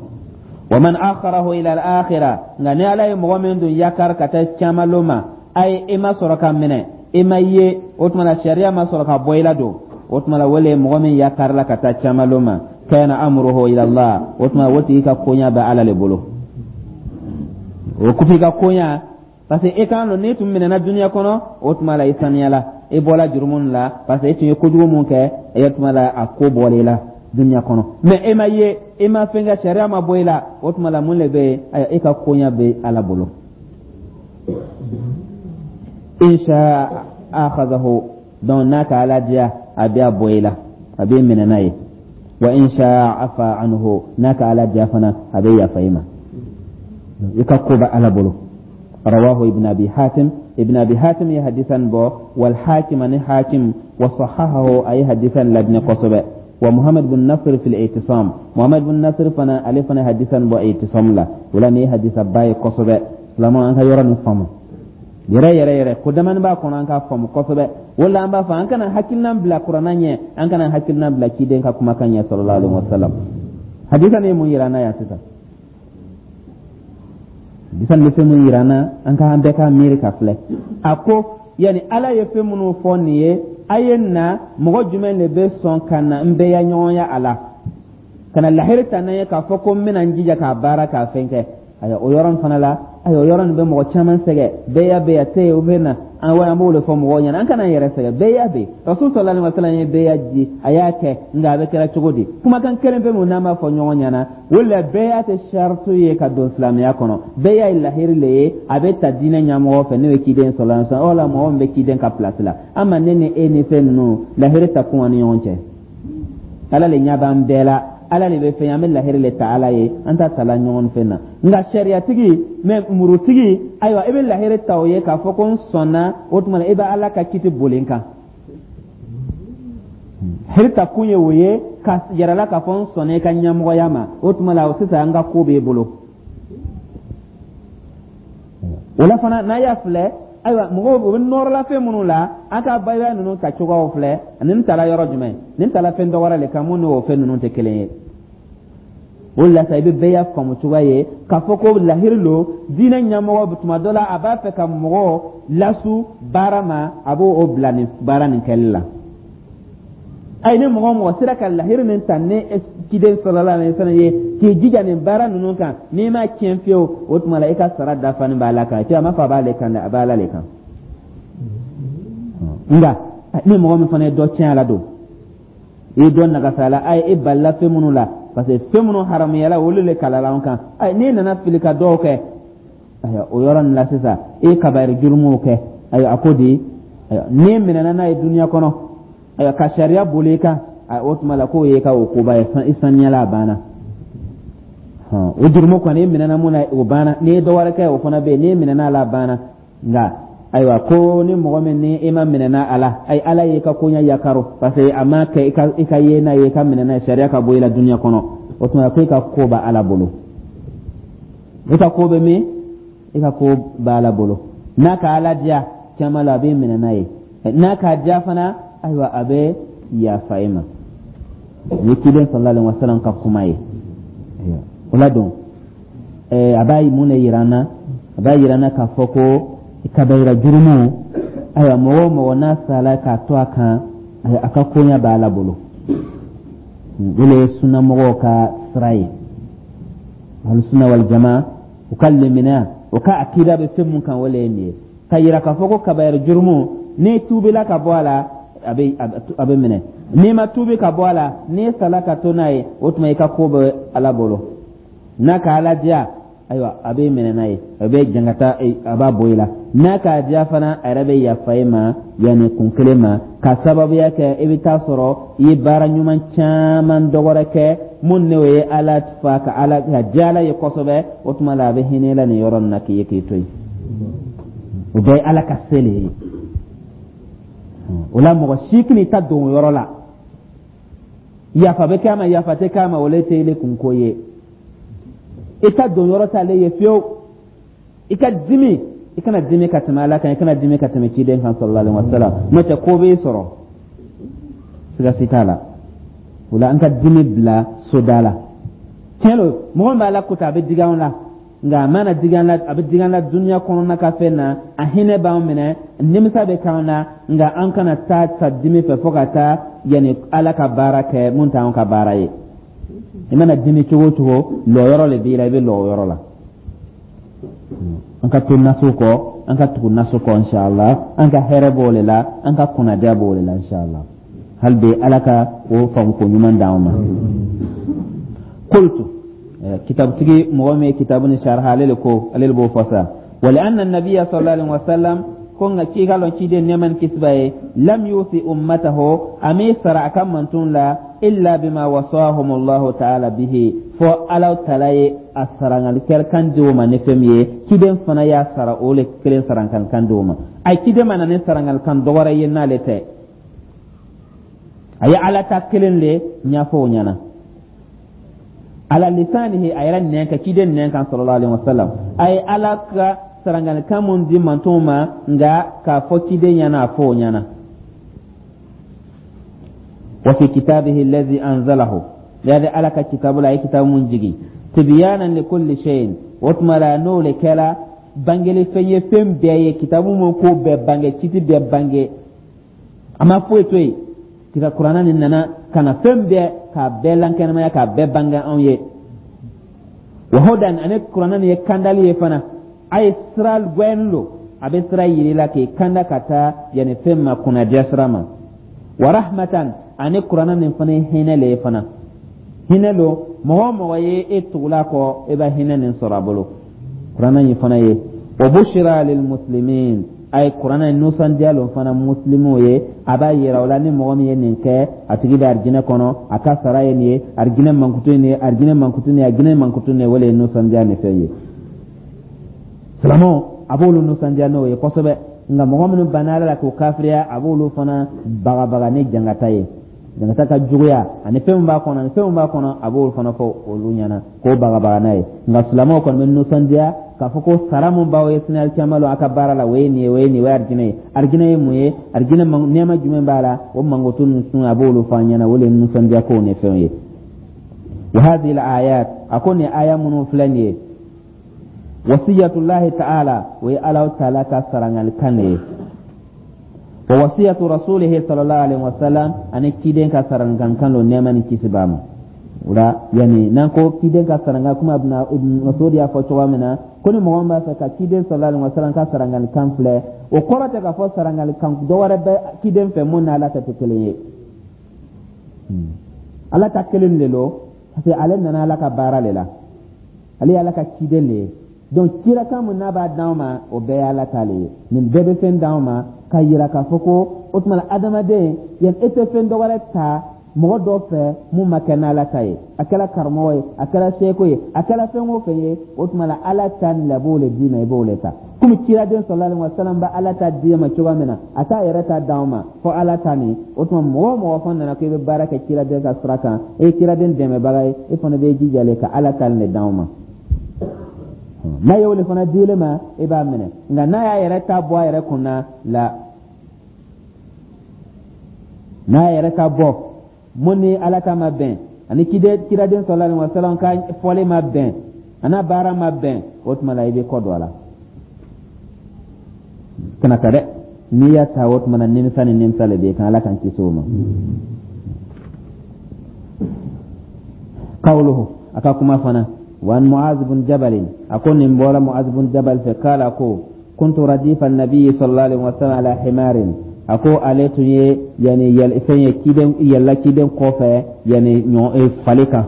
Wa man akharahu ila al-akhirah, nka ni Ala ye mɔgɔ min dun yakari ka taa caman ma, ayi, e ma sɔrɔ ka minɛ, e ma ye, o tuma la sariya ma sɔrɔ ka bɔ i la don, o tuma la wale mɔgɔ min yakarila ka taa caman ma, kana amruhu ila Allah, o tuma o tigi ka koɲa bɛ Ala le bolo. O kufi ka koɲa, parce que e kan lɔn n'i tun minɛna duniya kɔnɔ, o tuma la i saniyala, i bɔla jurumu la, parce que e tun ye kojugu mun kɛ, e tuma la a ko bɔra i la duniya kɔnɔ. Mais e ma ye, e ma fɛn kɛ, sariya ma bɔ i la, o tuma la mun de bɛ yen? Ayiwa, e ka koɲa bɛ Ala bolo. In sha akhadahu, donc n'a ka Ala diya, a bɛ a bɔ i la, a bɛ minɛ n'a ye. Wa in sha afa anhu, n'a ka Ala diya fana, a bɛ yafa i ma. I ka ko bɛ Ala bolo. Rawahu Ibn Abi Hatim, Ibn Abi Hatim ye hadisan bɔ, wal Hakim, ani Hakim, wa sahahahu, a ye hadisan ladinɛ kosɛbɛ, wa Muhammad bin Nasir fil I'tisam, Muhammad bin Nasir fana, ale fana hadisan bɔ I'tisam la. O la nin ye hadisa ba ye kosɛbɛ. Silamɛw, an ka yɔrɔ nin faamu yɛrɛ yɛrɛ yɛrɛ, ko damani b'a kɔnɔ, an k'a faamu kosɛbɛ. O la an b'a fɔ an kana hakilina bila Kuranna ɲɛ, an kana hakilina bila ciden ka kumakan ɲɛ, sallallahu alaihi wasallam. Hadisa nin ye mun yira an na yan sisan? Hadisa nin bɛ fɛn mun yira an na? An ka an bɛɛ ka miiri ka filɛ. A ko yani Ala ye fɛn minnu fɔ nin ye, a ye na, mɔgɔ jumɛn de bɛ sɔn ka na n bɛɛ ya ɲɔgɔnya a la, ka na lahiri ta n'an ye k'a fɔ ko n bɛna n jija k'a baara, k'a fɛn kɛ? Ayiwa, o yɔrɔ fana la, ayiwa, o yɔrɔ nin bɛ mɔgɔ caman sɛgɛn. Bɛɛ bɛ yan tɛ yen, o bɛ na an wa, an b'o de fɔ mɔgɔw ɲɛna, an kana an yɛrɛ sɛgɛn. Bɛɛ y'a bɛ Rasul sallallahu alaihi wasallam ye bɛɛ y'a di, a y'a kɛ, nka a bɛ kɛra cogo di? Kumakan kelen pe mun n'an b'a fɔ ɲɔgɔn ɲɛna, o la bɛɛ y'a tɛ saritu ye ka don silamɛya kɔnɔ. Bɛɛ y'a ye lahiri le ye, a bɛ ta diinɛ ɲɛmɔgɔ fɛ, n'o ye ciden sallallahu alaihi wasallam. O la mɔgɔ min bɛ ciden ka place la, an ma ne ni e ni fɛn ninnu lahiri ta kun ni ɲɔgɔn cɛ. Ala le ɲɛ b'an bɛɛ la, Ala de bɛ fɛn, an bɛ lahiri le ta Ala ye, an ta tala ɲɔgɔn fɛn na. Nka sariyatigi mɛ murutigi, ayiwa, i bɛ lahiri ta o ye k'a fɔ ko n sɔnna, o tuma na i bɛ Ala ka kiti boli n kan. Lahiri ta kun ye o ye ka yɛrɛ la k'a fɔ n sɔnna i ka ɲɛmɔgɔya ma, o tuma la sisan an ka ko b'e bolo. O la fana, n'a y'a filɛ, ayiwa, mɔgɔw u bɛ nɔrɔla fɛn minnu la, an ka bayaya ninnu ta cogoyaw filɛ. Nin taara yɔrɔ jumɛn? Nin taara fɛn dɔ wɛrɛ le kan mun n'o fɛn ninnu tɛ kelen ye. O la sa i bɛ bɛɛ y'a faamu cogoya ye k'a fɔ ko lahiri lo. Diinɛ ɲɛmɔgɔ, tuma dɔ la a b'a fɛ ka mɔgɔ lasu baara ma, a b'o o bila nin baara nin kɛli la. Ayi, ni mɔgɔ o mɔgɔ sera ka lahiri min ta ni ciden sallallahu alaihi wasallam ye, k'i jija nin baara ninnu kan, n'i ma tiɲɛ fiyewu, o tuma la i ka sara dafani b'a la kan. A m'a fɔ a b'ale kan dɛ, a b'a la le kan. Nka ni mɔgɔ min fana ye dɔ tiɲɛ a la don, i ye dɔ nagasa a la, ayi, e balila fɛn minnu la, parce que fɛn minnu haramuyala, olu le kalala an kan. Ayi, n'i nana fili ka dɔw kɛ, ayiwa, o yɔrɔ nin la sisan e ye kabayiri jurumuw kɛ. Ayiwa, a ko di? Ayiwa, n'i minɛna n'a ye duniya kɔnɔ, ayiwa, ka sariya boli i kan, o tuma la k'o ye ka o koba ye, i saniyala, a banna. O jurumu kɔni, i minɛna mun na, o banna. N'i ye dɔ wɛrɛ kɛ, o fana bɛ yen, n'i minɛna a la, a banna. Nka ayiwa, ko ni mɔgɔ min ni i ma minɛna a la, ayi, Ala y'i ka koɲɛ yakaro, parce que a ma kɛ i ka ye n'a ye, i ka minɛ n'a ye, sariya ka bɔ i la duniya kɔnɔ, o tuma ko i ka ko bɛ Ala bolo. I ka ko bɛ min? I ka ko bɛ Ala bolo. N'a ka Ala diya caman la, a bɛ minɛ n'a ye. N'a k'a diya fana, ayiwa, a bɛ yafa i ma. Ni ciden sallallahu alaihi wasallam ka kuma ye o la don, a b'a mun de yira an na? A b'a yira an na k'a fɔ ko kabayira jurumu, ayiwa, mɔgɔ o mɔgɔ n'a sala k'a to a kan, a ka koɲɛ b'a la bolo. O le ye sunnamɔgɔw ka sira ye, Ahlu Sunna wal Jama, u ka lemina, u ka akida bɛ fɛn mun kan, o le ye nin ye, ka yira k'a fɔ ko kabayira jurumu, n'i tuubila ka bɔ a la, a bɛ minɛ. N'i ma tuubi ka bɔ a la, n'i sala ka to n'a ye, o tuma i ka ko bɛ Ala bolo. N'a ka Ala diya Ayiwa, a bɛ minɛ n'a ye, a bɛ jangata, a b'a bɔ i la. N'a k'a diya fana, a yɛrɛ bɛ yafa i ma, yanni kun kelen ma ka sababuya kɛ i bɛ taa sɔrɔ i ye baara ɲuman caman dɔ wɛrɛ kɛ mun n'o ye Ala fa ka Ala ka diya Ala ye kosɛbɛ. O tuma la, a bɛ hinɛ i la nin yɔrɔ nin na k'i ye k'i to yen. O bɛɛ ye Ala ka se le ye. O la, mɔgɔ si kan'i ta don o yɔrɔ la. Yafa bɛ kɛ a ma, yafa tɛ kɛ a ma, o le tɛ ile kunko ye. I ta don yɔrɔ t'ale ye fiyewu. I ka dimi, i kana dimi ka tɛmɛ Ala kan, i kana dimi ka tɛmɛ ciden kan sallallahu alaihi wasallam, n'o tɛ ko b'i sɔrɔ, siga si t'a la. O la, an ka dimi bila soda la. Tiɲɛ don, mɔgɔ min bɛ Ala ko ta, a bɛ digi anw la, nka a mana digi an la, a bɛ digi an la duniya kɔnɔna ka fɛn na, a hinɛ b'an minɛ, nimisa bɛ k'an na, nka an kana taa ta dimi fɛ fo ka taa yanni Ala ka baara kɛ mun t'anw ka baara ye. I mana dimi cogo o cogo, lɔyɔrɔ le b'i la, i bɛ lɔ o yɔrɔ la. An ka to naso kɔ, an ka tugu naso kɔ inshallah. An ka hɛrɛ b'o le la, an ka kunnadiya b'o le la inshallah. Hali bi, Ala ka o faamuko ɲuman d'anw ma. Qultu, kitabutigi, mɔgɔ min ye kitabu ni sharha, ale le ko, ale le b'o fɔ sa: wa li anna nabiyya sallallahu alaihi wasallam, ko nka k'i ka lɔn ciden, nɛɛma ni kisi b'a ye, lam yusi ummatahu, a m'i sara a ka mantun la, illa bima wasahum Allahu ta'ala bihi, fo Ala taala ye a sarangalikɛlikan di o ma ni fɛn min ye, ciden fana y'a sara o le kelen saranganikan di o ma. A ye ciden ma na ni sarangalikan dɔ wɛrɛ ye n'ale tɛ. A ye Ala ta kelen le ɲɛfɔ o ɲɛna ala lisanihi, a yɛrɛ nɛn kan, ciden nɛn kan sallallahu alaihi wasallam. A ye Ala ka sarangalikan mun di mantonw ma, nka k'a fɔ ciden ɲɛna, a fɔ o ɲɛna. Wa fi kitabihi allazi anzalahu, yadi Ala ka kitabu la, a ye kitabu mun jigi, tibyanan li kulli shay'in, o tuma la n'o le kɛla bangeli fɛn ye fɛn bɛɛ ye, kitabu mun ko bɛɛ bange, kiti bɛɛ bange, a ma foyi to yen. Kira Kuranna nin nana ka na fɛn bɛɛ k'a bɛɛ lankɛnɛmaya, k'a bɛɛ bange anw ye. Wa hudan, ani Kuranna nin ye kandali ye fana, a ye sira gwɛn lo, a bɛ sira yiri la k'i kanda ka taa yanni fɛn ma, kunnadiya sira ma. Wa rahmatan, ani Kuranna nin fana ye hinɛ le ye fana, hinɛ lo. Mɔgɔ o mɔgɔ ye e tugula kɔ, e bɛ hinɛ nin sɔrɔ a bolo. Kuranna nin fana ye wa bushra lil muslimin, a ye Kuranna in nisɔndiya lo fana muslimuw ye. A b'a yira o la ni mɔgɔ min ye nin kɛ, a tigi bɛ arijinɛ kɔnɔ, a ka sara ye nin ye, arijinɛ mankutu ye nin ye, arijinɛ mankutu nin ye, arijinɛ mankutu nin ye. O le ye nisɔndiya ni fɛn ye. Silamɛw, a b'olu nisɔndiya n'o ye kosɛbɛ, nka mɔgɔ minnu banna Ala la k'o kafiriya, a b'olu fana bagabaga ni jangata ye, jangata ka juguya ani fɛn min b'a kɔnɔ, ani fɛn min b'a kɔnɔ, a b'olu fana fɔ olu ɲɛna k'o bagabaga n'a ye. Nka silamɛw kɔni bɛ nisɔndiya k'a fɔ ko sara mun b'aw ye sini alikiyama lon a ka baara la, o ye nin ye, o ye nin ye, o ye arijinɛ ye. Arijinɛ ye mun ye? Arijinɛ nɛɛma jumɛn b'a la? O mankutu ninnu, a b'olu fɔ an ɲɛna. O de ye nisɔndiya kow ni fɛnw ye. Wa hadhihi al-ayat, a ko nin aya minnu filɛ nin ye, wasiyatullahi ta'ala, o ye Ala ta'ala ka sarangalikan de ye, wa wasiyatu rasulihi sallallahu alaihi wasallam, ani ciden ka sarangankan lo, nɛɛma ni kisi b'a ma. O la, yani n'an ko ciden ka sarangan kuma, Ibn Mas'ud y'a fɔ cogoya min na ko ni mɔgɔ min b'a fɛ ka ciden sallallahu alaihi wasallam ka sarangalikan filɛ, o kɔrɔ tɛ k'a fɔ sarangalikan dɔ wɛrɛ bɛ ciden fɛ mun n'Ala ta tɛ kelen ye. Ala ta kelen de lo, parce que ale nana Ala ka baara de la, ale ye Ala ka ciden de ye. Donc cirakan mun n'a b'a d'anw ma, o bɛɛ ye Ala ta le ye. Nin bɛɛ bɛ fɛn d'anw ma ka yira k'a fɔ ko o tuma la adamaden, yan e tɛ fɛn dɔ wɛrɛ ta mɔgɔ dɔ fɛ mun ma kɛ n'Ala ta ye, a kɛra karamɔgɔ ye, a kɛra seko ye, a kɛra fɛn o fɛn ye. O tuma la, Ala ta nin la b'o le d'i ma, i b'o le ta. Komi ciraden sallallahu alaihi wasallam bɛ Ala ta d'i ma cogoya min na, a t'a yɛrɛ ta d'anw ma fo Ala ta nin. O tuma mɔgɔ o mɔgɔ fana nana k'i bɛ baara kɛ ciraden ka sira kan, e ye ciraden dɛmɛbaga ye, e fana bɛ jija le ka Ala ta nin de d'anw ma. N'a y'o le fana dile ma, e b'a minɛ, nka n'a y'a yɛrɛ ta bɔ a yɛrɛ kun na la, n'a yɛrɛ ta bɔ mun ni Ala ta ma bɛn, ani ciraden sallallahu alaihi wasallam ka fɔli ma bɛn, a n'a baara ma bɛn, o tuma la i bɛ kɔ don a la, kana ta dɛ. N'i y'a ta, o tuma na nimisa ni nimisa le bɛ kan. Ala k'an kisi o ma. Qawluhu, a ka kuma fana, wa an Mu'az bin Jabal, a ko nin bɔra Mu'az bin Jabal fɛ, kala ko kuntu radifa nabi sallallahu alaihi wasallam ala himarin, a ko ale tun ye yani fɛn ye ciden yɛlɛla ciden kɔfɛ, yani ɲɔ fali kan.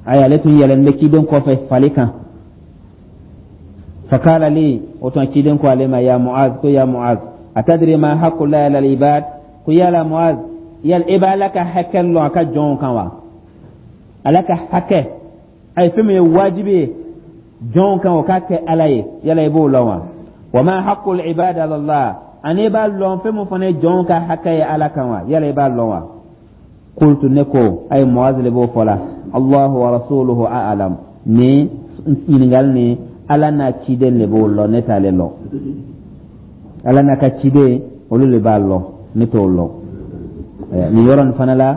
Ayi, ale tun yɛlɛn bɛ ciden kɔfɛ fali kan. Fakala li, o tuma ciden ko ale ma: ya Muaz, ko ya Muaz, atadri ma haqqu llahi ala al-ibad? Ko yala Muaz, yala e b'Ala ka hakɛ lɔn a ka jɔnw kan wa? Ala ka hakɛ a ye fɛn min ye wajibi ye jɔnw kan o k'a kɛ Ala ye, yala i b'o lɔn wa? Wa ma haqqul ibad ala Allah? Ani i b'a lɔn fɛn min fana ye jɔnw ka hakɛ ye Ala kan wa? Yala i b'a lɔn wa? Qultu, ne ko, ay Muaz le b'o fɔ la, Allahu wa rasuluhu a'lam. Ni ɲininkali ni Ala n'a ciden le b'o lɔn, ne t'ale lɔn. Ala n'a ka ciden, olu le b'a lɔn, ne t'o lɔn. Nin yɔrɔ nin fana la,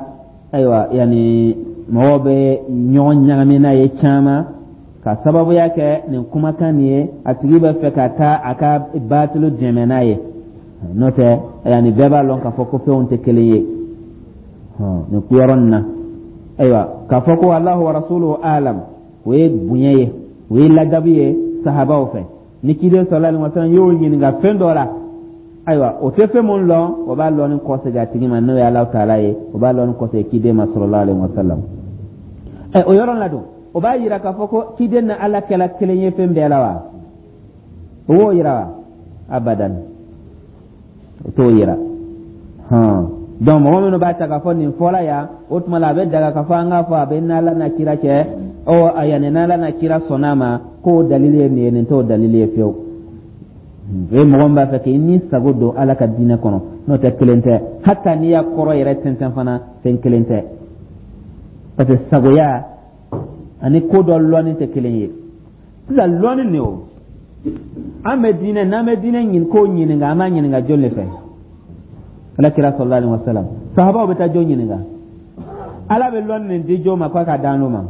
ayiwa, yani mɔgɔw bɛ ɲɔgɔn ɲagami n'a ye caman ka sababuya kɛ nin kumakan nin ye. A tigi bɛ fɛ ka taa a ka baatilu dɛmɛ n'a ye. N'o tɛ, yani bɛɛ b'a lɔn k'a fɔ ko fɛnw tɛ kelen ye nin yɔrɔ nin na. Ayiwa, k'a fɔ ko Allahu wa rasuluhu alam, o ye bonya ye, o ye ladabu ye sahabaw fɛ. Ni ciden sallallahu alaihi wasallam y'o ɲininka fɛn dɔ la, ayiwa, o tɛ fɛn mun lɔn, o b'a lɔn ni kɔsegin a tigi ma, n'o ye Alahu taala ye, o b'a lɔn ni kɔsegin ciden ma sallallahu alaihi wasallam. Ɛ, o yɔrɔ la don, o b'a yira k'a fɔ ko ciden ni Ala kɛla kelen ye fɛn bɛɛ la wa? O b'o yira wa? Abadan, o t'o yira. Hɔn, donc mɔgɔ minnu b'a ta k'a fɔ nin fɔla yan, o tuma la a bɛ daga k'a fɔ an k'a fɔ a bɛ n'Ala n'a kira cɛ, ɔ yanni n'Ala n'a kira sɔnna a ma k'o dalili ye nin ye, nin t'o dalili ye fiyewu. O ye mɔgɔ min b'a fɛ k'i ni sago don Ala ka diinɛ kɔnɔ. N'o tɛ, kelen tɛ. Hata n'i y'a kɔrɔ yɛrɛ tɛntɛn fana, fɛn kelen tɛ, parce que sagoya ani ko dɔ lɔnni tɛ kelen ye. Sisan lɔnni nin, o an bɛ diinɛ, n'an bɛ diinɛ ɲini ko ɲininka, an b'a ɲininka jɔn de fɛ? Ala kira sallallahu alaihi wasallam. Sahabaw bɛ taa jɔn ɲininka? Ala bɛ lɔnni nin di jɔn ma k'a ka d'an ma?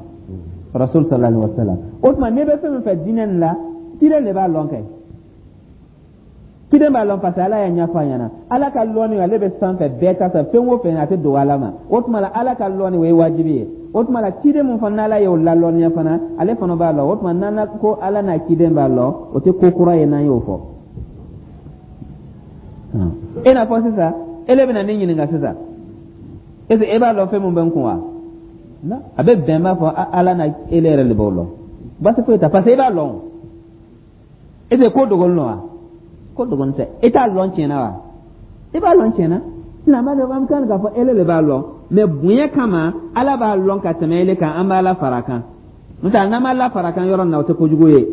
Rasul sallallahu alaihi wasallam. O tuma n'i bɛ fɛn min fɛ diinɛ nin la, ciden de b'a lɔn kɛ, ciden b'a lɔn, parce que Ala y'a ɲɛfɔ a ɲɛna. Ala ka lɔnni, ale bɛ sanfɛ bɛɛ ta sa, fɛn o fɛn a tɛ dogo Ala ma. O tuma la Ala ka lɔnni, o ye wajibi ye. O tuma la ciden mun fana n'Ala y'o lalɔnniya fana, ale fana b'a lɔn. O tuma n'an ko Ala n'a ciden b'a lɔn, o tɛ ko kura ye n'an y'o fɔ. I n'a fɔ sisan ele bɛna ne ɲininka sisan, est ce que e b'a lɔn fɛn mun bɛ n kun wa? A bɛ bɛn b'a fɔ Ala n'a ele yɛrɛ de b'o lɔn, baasi foyi tɛ, parce que e b'a lɔn. Est ce que ko dogolen don wa? Ko dogolen tɛ. E t'a lɔn tiɲɛ na wa? E b'a lɔn tiɲɛ na. Sisan an b'a dɔn, an kan k'a fɔ ele de b'a lɔn, mais bonya kama Ala b'a lɔn ka tɛmɛ ele kan, an b'Ala fara a kan. N'o tɛ, n'an m'Ala fara a kan yɔrɔ min na, o tɛ kojugu ye.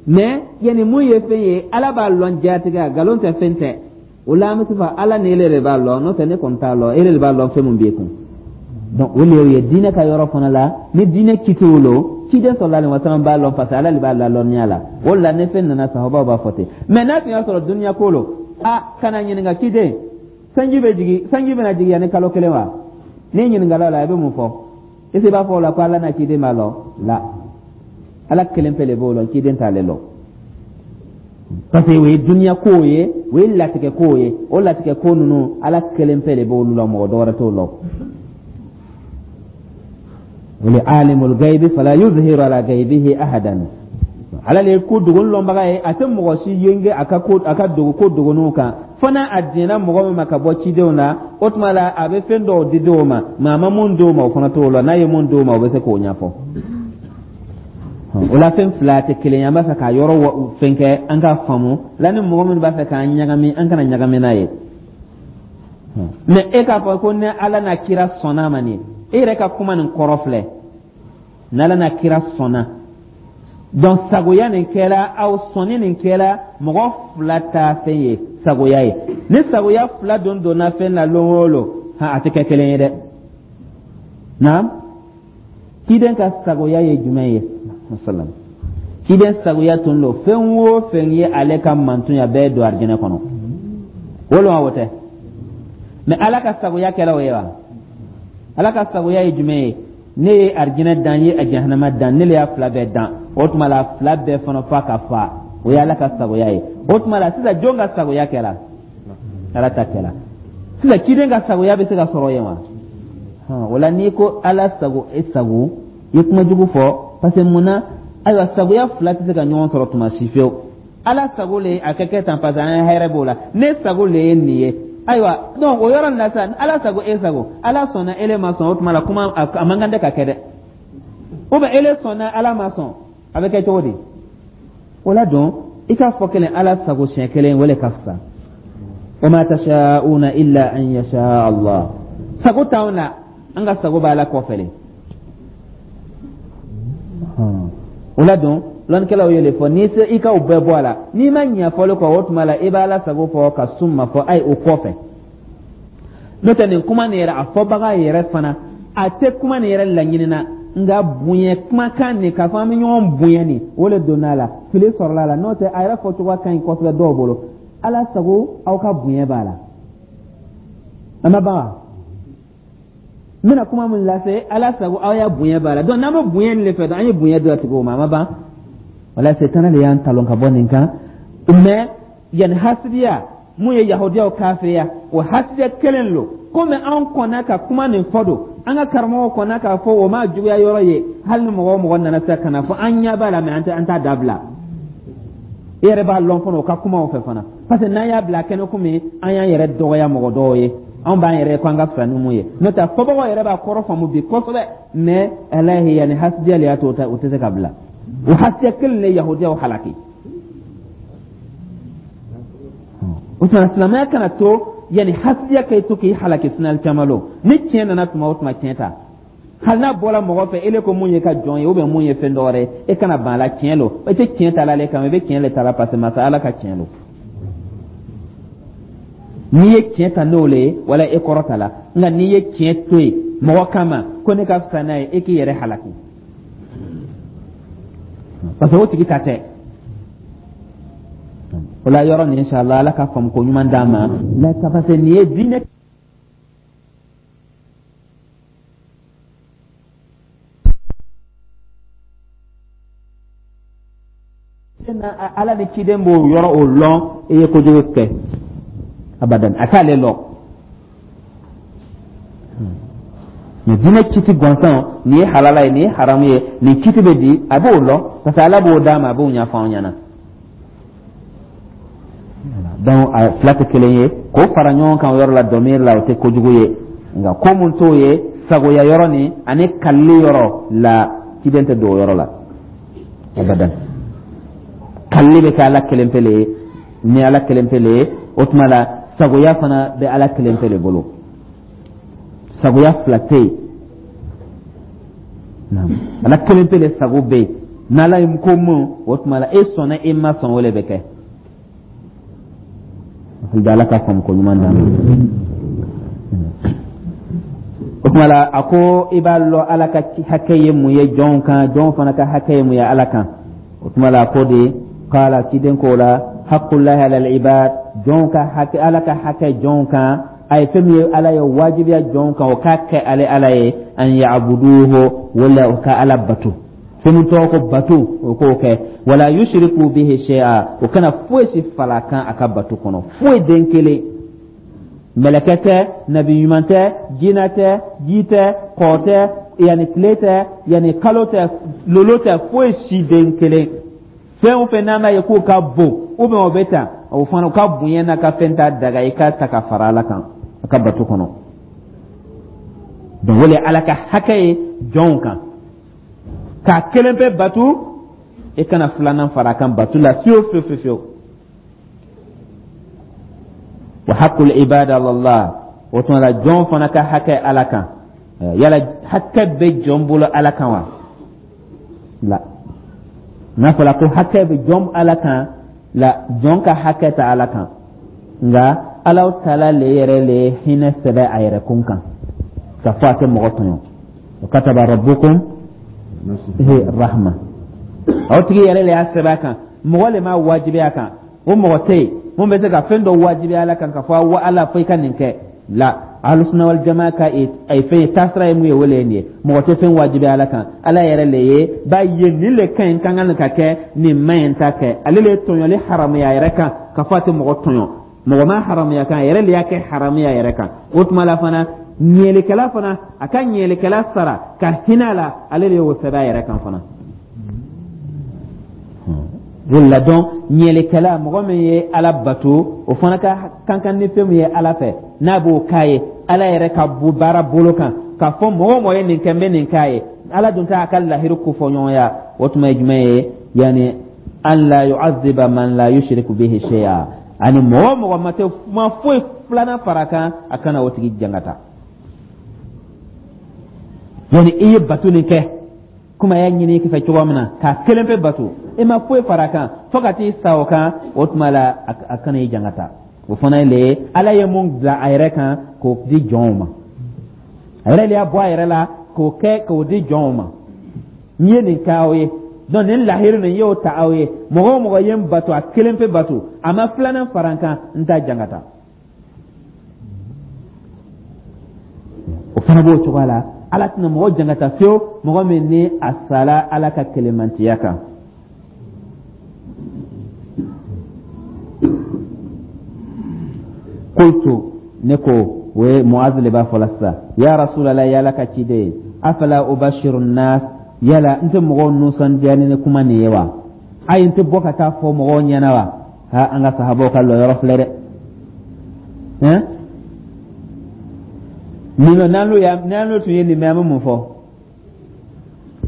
Mais yanni mun ye fɛn ye, Ala b'a lɔn jatigɛ, nkalon tɛ, fɛn tɛ. O la an bɛ se fɔ Ala ni ele de b'a lɔn. N'o tɛ, ne kɔni t'a lɔn, ele de b'a lɔn fɛn mun b'e kun. Donc o le ye diinɛ ka yɔrɔ fana la. Ni diinɛ kitiw lo, ciden sallallahu alaihi wasallam b'a lɔn, parce que Ala de b'a lalɔnniya la. O la ni fɛn nana, sahabaw b'a fɔ ten. Mais n'a tun y'a sɔrɔ duniya ko lo, a kana ɲininka ciden, sanji bɛ jigin, sanji bɛna jigin yanni kalo kelen wa? N'i ɲininkala o la, i bɛ mun fɔ? Est ce que i b'a fɔ o la ko Ala n'a ciden b'a lɔn? La, Ala kelen pe de b'o lɔn, ciden t'ale lɔn, parce que o ye duniya kow ye, o ye latigɛ kow ye. O latigɛ ko ninnu, Ala kelen pe de b'olu lɔn, mɔgɔ dɔwɛrɛ t'o lɔn. O le alimul gaibi fala yuzhiru ala gaibihi ahadan. Ala le ye ko dogo lɔnbaga ye, a tɛ mɔgɔ si yenge a ka ko, a ka dogo ko dogoninw kan. Fo n'a a diɲɛna mɔgɔ min ma ka bɔ cidenw na, o tuma la a bɛ fɛn dɔw di dɔw ma, mɛ a ma mun d'o ma, o fana t'o la. N'a ye mun d'o ma, o bɛ se k'o ɲɛfɔ. O la fɛn fila tɛ kelen ye. An b'a fɛ k'a yɔrɔ fɛn kɛ an ka faamu la. Ni mɔgɔ minnu b'a fɛ k'an ɲagami, an kana ɲagami n'a ye. Mɛ e k'a fɔ ko ni Ala n'a kira sɔnna ma, nin e yɛrɛ ka kuma nin kɔrɔ filɛ: n'Ala n'a kira sɔnna. Donc sagoya nin kɛra, aw sɔnni nin kɛra mɔgɔ fila ta fɛn ye, sagoya ye. Ni sagoya fila don donna fɛn na lon o lon, a tɛ kɛ kelen ye dɛ. Naam, ciden ka sagoya ye jumɛn ye? Salam, ciden sagoya tun don fɛn o fɛn ye, ale ka mantun ya bɛɛ don arijinɛ kɔnɔ. O lon wa, o tɛ? Mɛ Ala ka sagoya kɛra o ye wa? Ala ka sagoya ye jumɛn ye? Ne ye arijinɛ dan, ye a jahanama dan, ne le y'a fila bɛɛ dan. O tuma la fila bɛɛ fana fa ka fa, o ye Ala ka sagoya ye. O tuma la sisan jɔn ka sagoya kɛra? Ala ta kɛra. Sisan ciden ka sagoya bɛ se ka sɔrɔ yen wa? O la n'i ko Ala sago, e sago, i ye kuma jugu fɔ, parce que mun na? Ayiwa, sagoya fila tɛ se ka ɲɔgɔn sɔrɔ tuma si fiyewu. Ala sago le a ka kɛ tan, parce que an ye hɛrɛ b'o la. Ne sago le ye nin ye. Ayiwa, donc o yɔrɔ nin la sisan, Ala sago, e sago, Ala sɔnna, ele ma sɔn, o tuma la kuma a man kan tɛ ka kɛ dɛ. Ou bien ele sɔnna, Ala ma sɔn, a bɛ kɛ cogo di? O la donc I k'a fɔ kelen Ala sago siɲɛ kelen, o le ka fisa. Wa ma tasha'una illa an yasha Allah. Sago t'anw na, an ka sago b'Ala kɔfɛ le. O la don lɔnnikɛlaw ye le fɔ, n'i se i ka o bɛɛ bɔ a la, n'i ma ɲɛ fɔli kɔ, o tuma la i b'Ala sago fɔ ka summa fɔ ayi o kɔfɛ. N'o tɛ, nin kuma nin yɛrɛ, a fɔbaga yɛrɛ fana, a tɛ kuma nin yɛrɛ laɲinina, nka bonya kumakan nin, k'a fɔ an bɛ ɲɔgɔn bonya nin, o le donna a la, fili sɔrɔla a la. N'o tɛ, a yɛrɛ fɔcogo ka ɲi kosɛbɛ dɔw bolo. Ala sago, aw ka bonya b'a la. A ma ban wa? N bɛna kuma min lase, Ala sago, aw ya bonya b'a la. Donc n'an bɛ bonya nin de fɛ, an ye bonya di a tigiw ma. A ma ban? Wala setana de y'an talon ka bɔ nin kan. Mais yanni hasidiya mun ye yahudiyaw kafiriya, o hasidiya kelen lo. Komi an kɔnna ka kuma nin fɔ don, an ka karamɔgɔw kɔnna k'a fɔ, o ma juguya yɔrɔ ye. Hali ni mɔgɔ o mɔgɔ nana se ka na fɔ, an ɲɛ b'a la, mais an tɛ an t'a dabila. I yɛrɛ b'a lɔn fana o ka kumaw fɛ fana, parce que n'an y'a bila kɛnɛ komi an y'an yɛrɛ dɔgɔya mɔgɔ dɔw ye, anw b'an yɛrɛ ko an ka fisa ni mun ye. N'o tɛ, fɔbagaw yɛrɛ b'a kɔrɔ faamu bi kosɛbɛ, mais alahi, yanni hasidiya le y'a to o tɛ se ka bila. O hasidiya kelen de yahudiyaw halaki. O tuma silamɛya kana to yanni hasidiya ka to k'i halaki. Sinali caman lo, ni tiɲɛ nana tuma o tuma, tiɲɛ ta, hali n'a bɔra mɔgɔ fɛ, ele ko mun ye ka jɔn ye ou bien mun ye fɛn dɔ wɛrɛ ye, e kana ban a la. Tiɲɛ lo, e tɛ tiɲɛ ta la ale kama, i bɛ tiɲɛ le ta la, parce que masa Ala ka tiɲɛ lo. N'i ye tiɲɛ ta n'o le ye, wala e kɔrɔ ta la. Nka n'i ye tiɲɛ to yen mɔgɔ kama ko ne ka fisa n'a ye, e k'i yɛrɛ halaki, parce que o tigi ta tɛ. O la yɔrɔ nin, inshallah, Ala ka faamu ko ɲuman d'an ma la, parce que nin ye diinɛ na. Ala ni ciden b'o yɔrɔ o lɔn, i ye kojugu kɛ abadan, a t'ale lɔn. Mais diinɛ kiti gansan, nin ye halala ye, nin ye haramu ye, nin kiti bɛ di, a b'o lɔn, parce que Ala b'o d'a ma, a b'o ɲɛfɔ anw ɲɛna. Donc a fila tɛ kelen ye. K'o fara ɲɔgɔn kan o yɔrɔ la, dɔmiri la, o tɛ kojugu ye. Nka ko mun t'o ye, sagoya yɔrɔ nin ani kalili yɔrɔ la, ciden tɛ don o yɔrɔ la abadan. Kalili bɛ kɛ Ala kelen pe le ye, ni Ala kelen pe le ye. O tuma la sagoya fana bɛ Ala kelen pe le bolo, sagoya fila tɛ yen. Ala kelen pe le sago bɛ yen. N'Ala ye ko mun, o tuma la e sɔnna, e ma sɔn, o le bɛ kɛ. Ala ka faamu ko ɲuman d'an ma. O tuma la a ko i b'a lɔn Ala ka hakɛ ye mun ye jɔnw kan, jɔnw fana ka hakɛ ye mun ye Ala kan. O tuma la a ko de kala, ciden ko la, haqqulahi alal ibad, jɔnw ka hakɛ, Ala ka hakɛ jɔnw kan, a ye fɛn min ye Ala ye wajibiya jɔnw kan o k'a kɛ ale Ala ye, an ya'buduhu, wala o ka Ala bato, fɛn min tɔgɔ ko bato, o k'o kɛ, wala yushriku bihi shay'a, o kana foyi si fara kan a ka bato kɔnɔ, foyi den kelen, mɛlɛkɛ tɛ, nabi ɲuman tɛ, jinɛ tɛ, ji tɛ, kɔ tɛ, yanni tile tɛ, yanni kalo tɛ, lolo tɛ, foyi si den kelen. Fɛn o fɛn n'an b'a ye k'o ka bon ou bien o bɛ tan, o fana o ka bonya n'a ka fɛn t'a daga i k'a ta ka fara Ala kan a ka bato kɔnɔ. Donc o de ye Ala ka hakɛ ye jɔnw kan, k'a kelen pe batu, e kana filanan fara a kan batu la fiyewu fiyewu fiyewu. Wa haqqul ibad ala Allah, o tuma la jɔn fana ka hakɛ Ala kan. Yala hakɛ bɛ jɔn bolo Ala kan wa? La, n'a fɔra ko hakɛ bɛ jɔn Ala kan, la, jɔn ka hakɛ tɛ Ala kan. Nka Ala taala le yɛrɛ le ye hinɛ sɛbɛn a yɛrɛ kun kan ka fɔ a tɛ mɔgɔ tɔɲɔ. Wa kataba rabbukum rahma, aw tigi yɛrɛ le y'a sɛbɛn a kan, mɔgɔ le m'a wajibiya a kan. O mɔgɔ tɛ yen mun bɛ se ka fɛn dɔ wajibiya Ala kan ka fɔ wa Ala fo i ka nin kɛ. La, alusuna wal jamaa ka a ye fɛn ye, taasira ye mun ye, o le ye nin ye. Mɔgɔ tɛ fɛn wajibiya Ala kan, Ala yɛrɛ le ye b'a ye nin le ka ɲi, kan ka nin ka kɛ, nin man ɲi, ta kɛ. Ale le ye tɔɲɔli haramuya a yɛrɛ kan ka fɔ a tɛ mɔgɔ tɔɲɔ, mɔgɔ ma haramuya kan, a yɛrɛ le y'a kɛ haramuya a yɛrɛ kan. O tuma la fana ɲɛlikɛla fana, a ka ɲɛlikɛla sara ka hinɛ a la, ale de y'o sɛbɛn a yɛrɛ kan fana. O la dɔn ɲɛlikɛla, mɔgɔ min ye Ala bato, o fana ka kan kan ni fɛn min ye Ala fɛ, n'a b'o k'a ye Ala yɛrɛ ka baara bolo kan, k'a fɔ mɔgɔ o mɔgɔ ye nin kɛ, n bɛ nin k'a ye. Ala dun t'a ka lahiru kofɔ ɲɔgɔnya. O tuma ye jumɛn ye? Yanni An la yu'adhiba man la yushriku bihi shay'a, ani mɔgɔ o mɔgɔ ma tɛ ma foyi filanan fara kan, a kana o tigi jangata. Yani i ye bato nin kɛ komi a y'a ɲini i fɛ cogoya min na, k'a kelen pe bato, i ma foyi fara kan fo ka t'i sa o kan, o tuma la a kana i jangata. O fana ye le ye Ala ye mun bila a yɛrɛ kan k'o di jɔnw ma, a yɛrɛ de y'a bɔ a yɛrɛ la k'o kɛ k'o di jɔnw ma. N ye nin kɛ aw ye, donc nin lahiru nin y'o ta aw ye. Mɔgɔ o mɔgɔ ye n bato, a kelen pe bato, a ma filanan fara n kan, n t'a jangata. O fana b'o cogoya la. Ala tɛna mɔgɔ jangata fiyewu, mɔgɔ min ni a sala Ala ka kelemantiya kan. Qultu, ne ko, o ye Muaz le b'a fɔla sisan, ya Rasulallah, ya Ala ka ciden ye, afala ubashiru nas, yala n tɛ mɔgɔw nisɔndiya ni kuma nin ye wa? Ayi, n tɛ bɔ ka taa fɔ mɔgɔw ɲɛna wa? Ha, an ka sahabaw ka lɔyɔrɔ filɛ dɛ. Hɛn, nin n'an tun ye nin mɛn, an bɛ mun fɔ?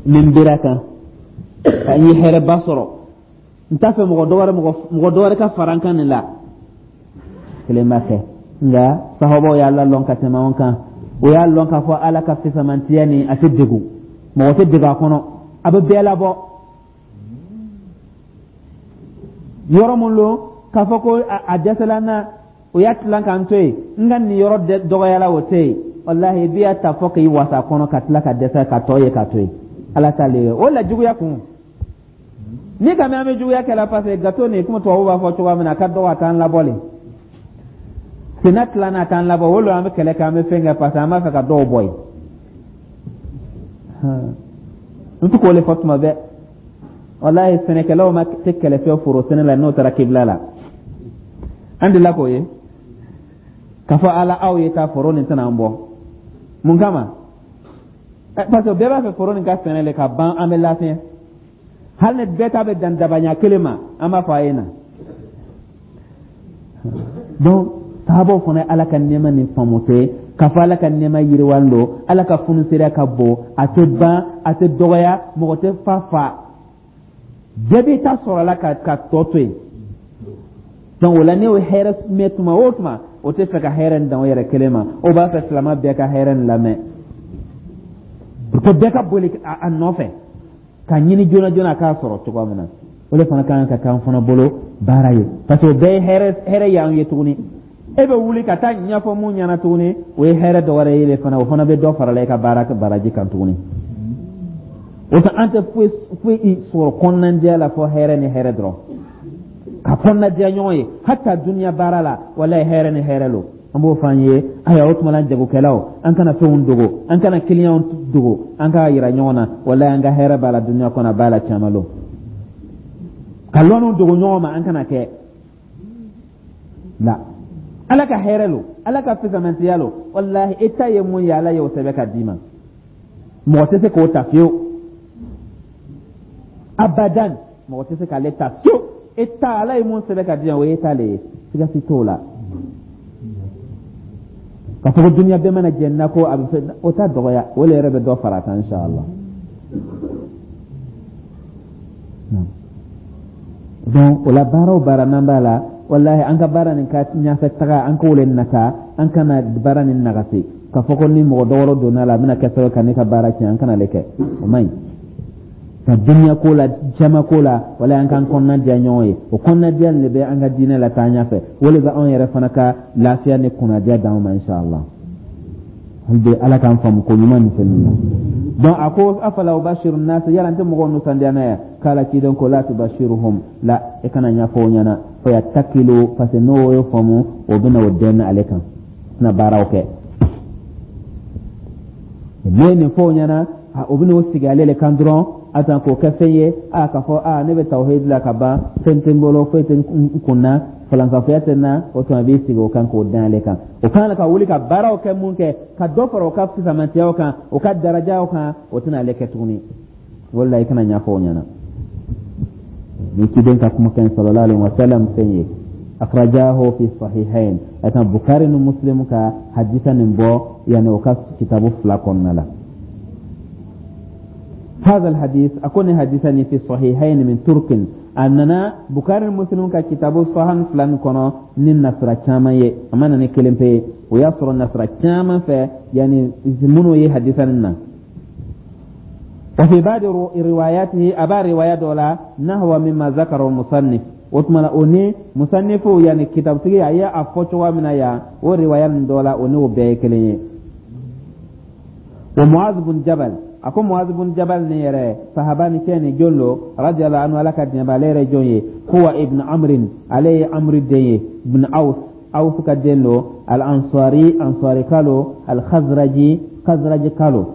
Nin bera kan ka n ye hɛrɛba sɔrɔ, n t'a fɛ mɔgɔ dɔwɛrɛ mɔgɔ dɔwɛrɛ ka fara n kan nin la. Kelen b'a kɛ, nka sahabaw y'a lalɔn ka tɛmɛ anw kan. O y'a lɔn k'a fɔ Ala ka fisamantiya nin, a tɛ degun, mɔgɔ tɛ degun a kɔnɔ, a bɛ bɛɛ labɔ. Yɔrɔ mun lo k'a fɔ ko a dɛsɛla n na, o y'a tilan k'an to yen, n ka nin yɔrɔ dɔgɔyala, o tɛ yen. Walahi, i b'a ta fɔ k'i wasa kɔnɔ, ka tila ka dɛsɛ ka tɔ ye ka to yen. Ala t'ale ye o la juguya kun ni ka mɛn an bɛ juguya kɛ la, parce que gato nin, komi tubabu b'a fɔ cogoya min na, a ka dɔgɔ, a t'an labɔ le. Senna tilanna, a t'an labɔ. O lo an bɛ kɛlɛ kɛ, an bɛ fɛn kɛ, parce que an b'a fɛ ka dɔw bɔ yen. N tɛ k'o le fɔ tuma bɛɛ. Walahi, sɛnɛkɛlaw ma tɛ kɛlɛ fɛ foro sɛnɛ la n'o taara kibila la. An delila k'o ye k'a fɔ ala aw ye taa foro nin tɛna an bɔ mun kama? Parce que bɛɛ b'a fɛ foro nin ka sɛnɛ le ka ban, an bɛ lafiya. Hali ni bɛɛ ta bɛ dan dabaɲa kelen ma, an b'a fɔ a ye na. Donc sahabaw fana ye Ala ka nɛɛma nin faamu tɛ k'a fɔ Ala ka nɛɛma yiriwalen don, Ala ka funusereya ka bon, a tɛ ban, a tɛ dɔgɔya, mɔgɔ tɛ fa fa, bɛɛ b'i ta sɔrɔ a la ka tɔ to yen. Donc o la, ne y'o hɛrɛ mɛn tuma o tuma, o tɛ fɛ ka hɛrɛ nin dan o yɛrɛ kelen ma, o b'a fɛ silamɛ bɛɛ ka hɛrɛ nin lamɛn pour que bɛɛ ka boli a nɔfɛ ka ɲini joona joona a k'a sɔrɔ cogoya min na. O de fana kan ka k'an fana bolo baara ye, parce que o bɛɛ ye hɛrɛ hɛrɛ y'an ye tuguni. E bɛ wuli ka taa ɲɛfɔ mun ɲɛna tuguni, o ye hɛrɛ dɔ wɛrɛ ye de fana, o fana bɛ dɔ farala i ka baara baraji kan tuguni. O tɛ an tɛ foyi foyi sɔrɔ kɔnɔnajɛya la fɔ hɛrɛ ni hɛrɛ dɔrɔn, ka kɔnɔnajɛya ɲɔgɔn ye hata duniya baara la. Walayi, hɛrɛ ni hɛrɛ lo. An b'o fɔ an ye. Ayiwa, o tuma la, jagokɛlaw, an kana fɛnw dogo, an kana kiliyanw dogo, an k'a yira ɲɔgɔn na. Walayi, an ka hɛrɛ b'a la duniya kɔnɔ, a b'a la caman lo. Ka lɔnniw dogo ɲɔgɔn ma, an kana kɛ la. Ala ka hɛrɛ lo, Ala ka fisamantiya lo. Walahi, e ta ye mun ye, Ala y'o sɛbɛn ka d'i ma, mɔgɔ tɛ se k'o ta fiyewu, abadan, mɔgɔ tɛ se k'ale ta fiyewu. E ta, Ala ye mun sɛbɛn ka di yan, o ye ta le ye, siga si t'o la. Ka fɔ ko duniya bɛɛ mana jɛ na ko a bɛ fɛ, o t'a dɔgɔya, o le yɛrɛ bɛ dɔ fara a kan, inshallah. Donc o la, baara o baara n'an b'a la, walahi, an ka baara nin ka ɲɛfɛ taga, an k'o le nata, an kana baara nin nagasi k'a fɔ ko ni mɔgɔ dɔ wɛrɛ donna a la, a bɛna kɛ sababu ka ne ka baara tiɲɛ. An kana le kɛ, o man ɲi. Ka duniya ko la, jama ko la, walahi, an k'an kɔnɔna diya ɲɔgɔn ye. O kɔnɔna diya nin de bɛ an ka diinɛ la taa ɲɛfɛ, o de bɛ anw yɛrɛ fana ka lafiya ni kunnadiya d'anw ma, inshallah. Hali bi, Ala k'an faamu ko ɲuman nin fɛn min na. Donc a ko: afala ubashiru nasa, yala n tɛ mɔgɔw nisɔndiya n'a ye? Kala, ciden ko: la tubashiruhum, la, e kana ɲɛfɔ o ɲɛna. Fayattakilu, parce que n'o y'o faamu, o bɛna o dɛn ale kan, tɛna baaraw kɛ. N'i ye nin fɔ o ɲɛna, o bɛna o sigi ale le kan dɔrɔn, a tan k'o kɛ fɛn ye, a k'a fɔ a ne bɛ tawhid la ka ban, fɛn tɛ n bolo, foyi tɛ n kun na, falankafoya tɛ n na. O tuma a b'i sigi o kan k'o dan ale kan. O kan ka wuli ka baaraw kɛ, mun kɛ ka dɔ fara o ka fisamantiyaw kan, o ka darajaw kan, o tɛna ale kɛ tuguni. O la, i kana ɲɛfɔ o ɲɛna. Ni ciden ka kumakan sallallahu alaihi wa sallam fɛn ye, akhrajahu fi sahihain, a kan Bukhari ni Muslim ka hadisa nin bɔ, yani o ka kitabu fila kɔnɔna la. هذا الحديث أكون حديثا في الصحيحين من طرق. A nana Bukari ni Muslim ka kitabu sahan fila nin kɔnɔ ni nasira caman ye. A ma na ni kelen pe ye, o y'a sɔrɔ nasira caman fɛ, yani minnu ye hadisa nin na. Wa fi ba'di riwayatihi, a b'a riwaya dɔ la, nahwa mimma zakara musannif. O tuma na, o ni musannifu, yani kitabutigi, a ye a fɔ cogoya min na yan, o riwaya nin dɔ la, o n'o bɛɛ ye kelen ye. Wa Muaz bun Jabal, a ko Muaz bun Jabal nin yɛrɛ, sahaba ni cɛ ni jɔn lo? Radiyallahu anhu, Ala ka diɲɛ b'ale yɛrɛ. Jɔn ye? Huwa ibn Amrin, ale ye Amri den ye, ibn Aus, Aus ka den lo, al Ansari, Ansari ka lo, al Khazraji, Khazraji ka lo,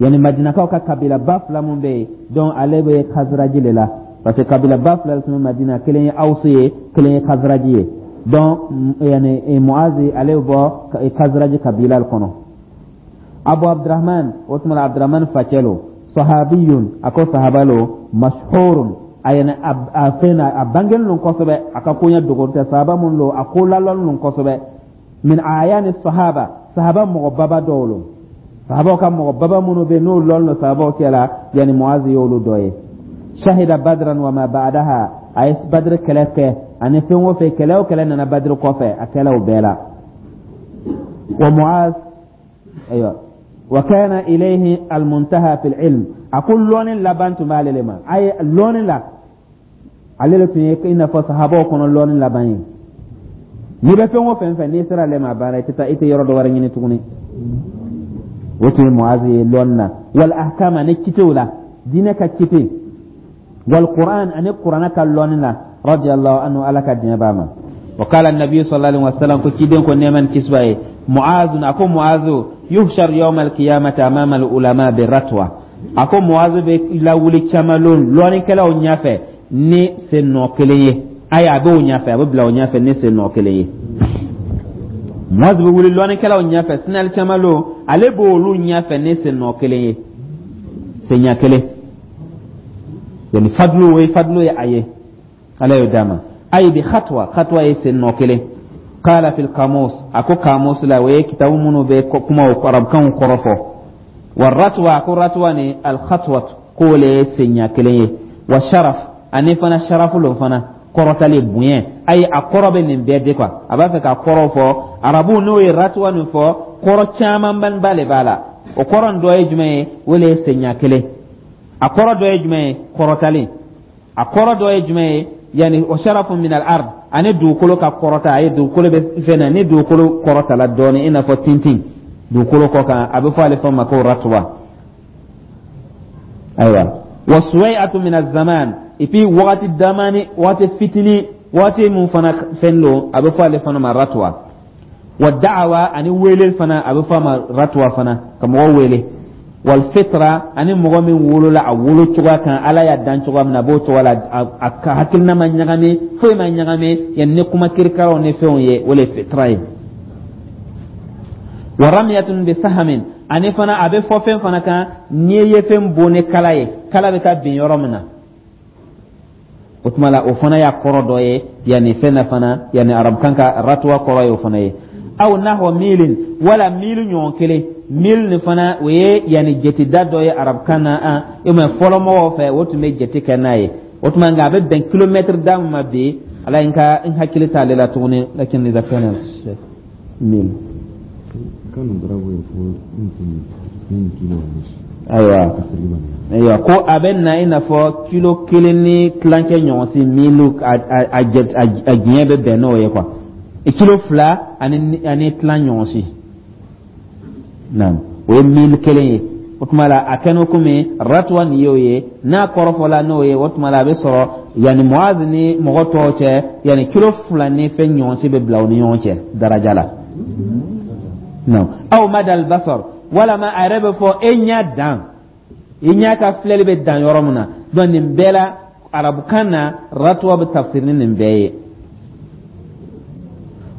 yani Madinakaw ka kabila ba fila mun bɛ yen. Donc ale bɛ Khazraji de la, parce que kabila ba fila tun bɛ Madina, kelen ye Aus ye, kelen ye Khazraji ye. Donc yani Muazi, ale bɛ bɔ Khazraji kabila kɔnɔ. Abu Abdurrahman, o tuma la Abdurrahman facɛ lo. Sahabiyun, a ko sahaba lo, mashhurun, a yɛnɛ a fɛn na, a bangelen lo kosɛbɛ, a ka koɲɛ dogo tɛ, sahaba mun lo, a ko lalɔn lo kosɛbɛ. Min ayani sahaba, sahaba mɔgɔ baba dɔw lo, sahabaw ka mɔgɔ baba minnu bɛ n'o lɔn lo sahabaw cɛ la, yani Muazi y'olu dɔ ye. Shahida Badran wa ma ba'daha, a ye Badr kɛlɛ kɛ ani fɛn o fɛn, kɛlɛ o kɛlɛ nana Badr kɔfɛ, a kɛla o bɛɛ la. Wa Muaz, ayiwa, wa kana ilayhi almuntaha fil ilm, a ko lɔnni laban tun b'ale le ma. A ye lɔnni la, ale le tun ye i n'a fɔ sahabaw kɔnɔ lɔnni laban ye. N'i bɛ fɛn o fɛn fɛ, n'i sera ale ma, a banna, i tɛ taa, i tɛ yɔrɔ dɔ wɛrɛ ɲini tuguni. O tun ye Muazi ye lɔnni na, wal ahkam, ani kitew la, diinɛ ka kite, wal Qur'an, ani Qur'ana ka lɔnni la. Radiyallahu anhu, Ala ka diɲɛ b'a ma. Wa qala an-nabi sallallahu alaihi wasallam, ko ciden ko, nɛɛma ni kisi b'a ye, Muazu, a ko Muazu yuhshar yawm al-qiyamati amama al-ulama bi ratwa, a ko Muazu bɛ lawuli caman lɔnnikɛlaw ɲɛfɛ ni sen nɔ kelen ye. Ayi, a b'o ɲɛfɛ, a bɛ bila o ɲɛfɛ ni sen nɔ kelen ye. Muazu bɛ wuli lɔnnikɛlaw ɲɛfɛ sinali caman lon, ale b'olu ɲɛfɛ ni sen nɔ kelen ye, senɲɛ kelen, yani fadlu, o ye fadlu ye a ye, Ala y'o d'a ma. Ayi, bi khatwa, khatwa ye sen nɔ kelen. Qala fil qamus, a ko kamus la, o ye kitabu minnu bɛ kumaw arabukanw kɔrɔ fɔ. Wa ratwa, a ko ratwa ni al khatwat, k'o le ye senɲɛ kelen ye. Wa sharaf, ani fana sharafu lo fana, kɔrɔtali, bonya. Ayi, a kɔrɔ bɛ nin bɛɛ de quoi. A b'a fɛ ka kɔrɔ fɔ arabu, n'o ye ratwa nin fɔ, kɔrɔ camanba le b'a la. O kɔrɔ nin dɔ ye jumɛn ye? O le ye senɲɛ kelen. A kɔrɔ dɔ ye jumɛn ye? Kɔrɔtali. A kɔrɔ dɔ ye jumɛn ye? Yani o sharafu min al ard, ani dugukolo ka kɔrɔta. A ye dugukolo bɛ fɛn na, ni dugukolo kɔrɔtala dɔɔni, i n'a fɔ tintin dugukolo kɔ kan, a bɛ fɔ ale fɔ ma ko ratwa. Ayiwa, wa suwai'atu min az-zaman, et puis wagati damani, wagati fitini, wagati mun fana fɛn don, a bɛ fɔ ale fana ma ratwa. Wa da'awa, ani wele fana, a bɛ fɔ a ma ratwa fana, ka mɔgɔ wele. Wal fitra, ani mɔgɔ min wolola a wolo cogoya kan, Ala y'a dan cogoya min na, a b'o cogoya la, a ka hakilina ma ɲagami, foyi ma ɲagami, yani ni kuma kirikaraw ni fɛnw ye, o le ye fitra ye. Wa ramyatun bi sahamin, ani fana a bɛ fɔ fɛn fana kan, n'i ye fɛn bon ni kala ye, kala bɛ taa bin yɔrɔ min na, o tuma la, o fana y'a kɔrɔ dɔ ye. Yanni fɛn na fana, yanni arabukan ka ratwa kɔrɔ ye o fana ye. Aw nahwa milin, wala mili ɲɔgɔn kelen. Mil nin fana, o ye yanni jateda dɔ ye arabukan na. An e ma fɔlɔ mɔgɔw fɛ, o tun bɛ jate kɛ n'a ye. O tuma nka a bɛ bɛn kilomɛtiri da min ma bi, Ala n ka n hakili t'ale la tuguni, lakin idha kana mil كان ضربه يقول يمكن 2 كيلو ونص Ayiwa. تقريبا. Ayiwa, ko a bɛ na i n'a fɔ kilo kelen ni tilancɛ ɲɔgɔn si, milu a diɲɛ bɛ bɛn n'o ye quoi, kilo 2 ani tilan ɲɔgɔn si, naam, o ye mili kelen ye. O tuma la, a kɛ n'o komi ratuwa nin y'o ye, n'a kɔrɔfɔla n'o ye, o tuma la, a bɛ sɔrɔ yanni Muazi ni mɔgɔ tɔw cɛ, yanni kilo 2 ni fɛn ɲɔgɔn si bɛ bila u ni ɲɔgɔn cɛ daraja la. Non, aw madal basar, walama a yɛrɛ bɛ fɔ e ɲɛ dan, i ɲɛ ka filɛli bɛ dan yɔrɔ min na. Donc nin bɛɛ la, arabukan na, ratuwa bɛ tafsiri ni nin bɛɛ ye.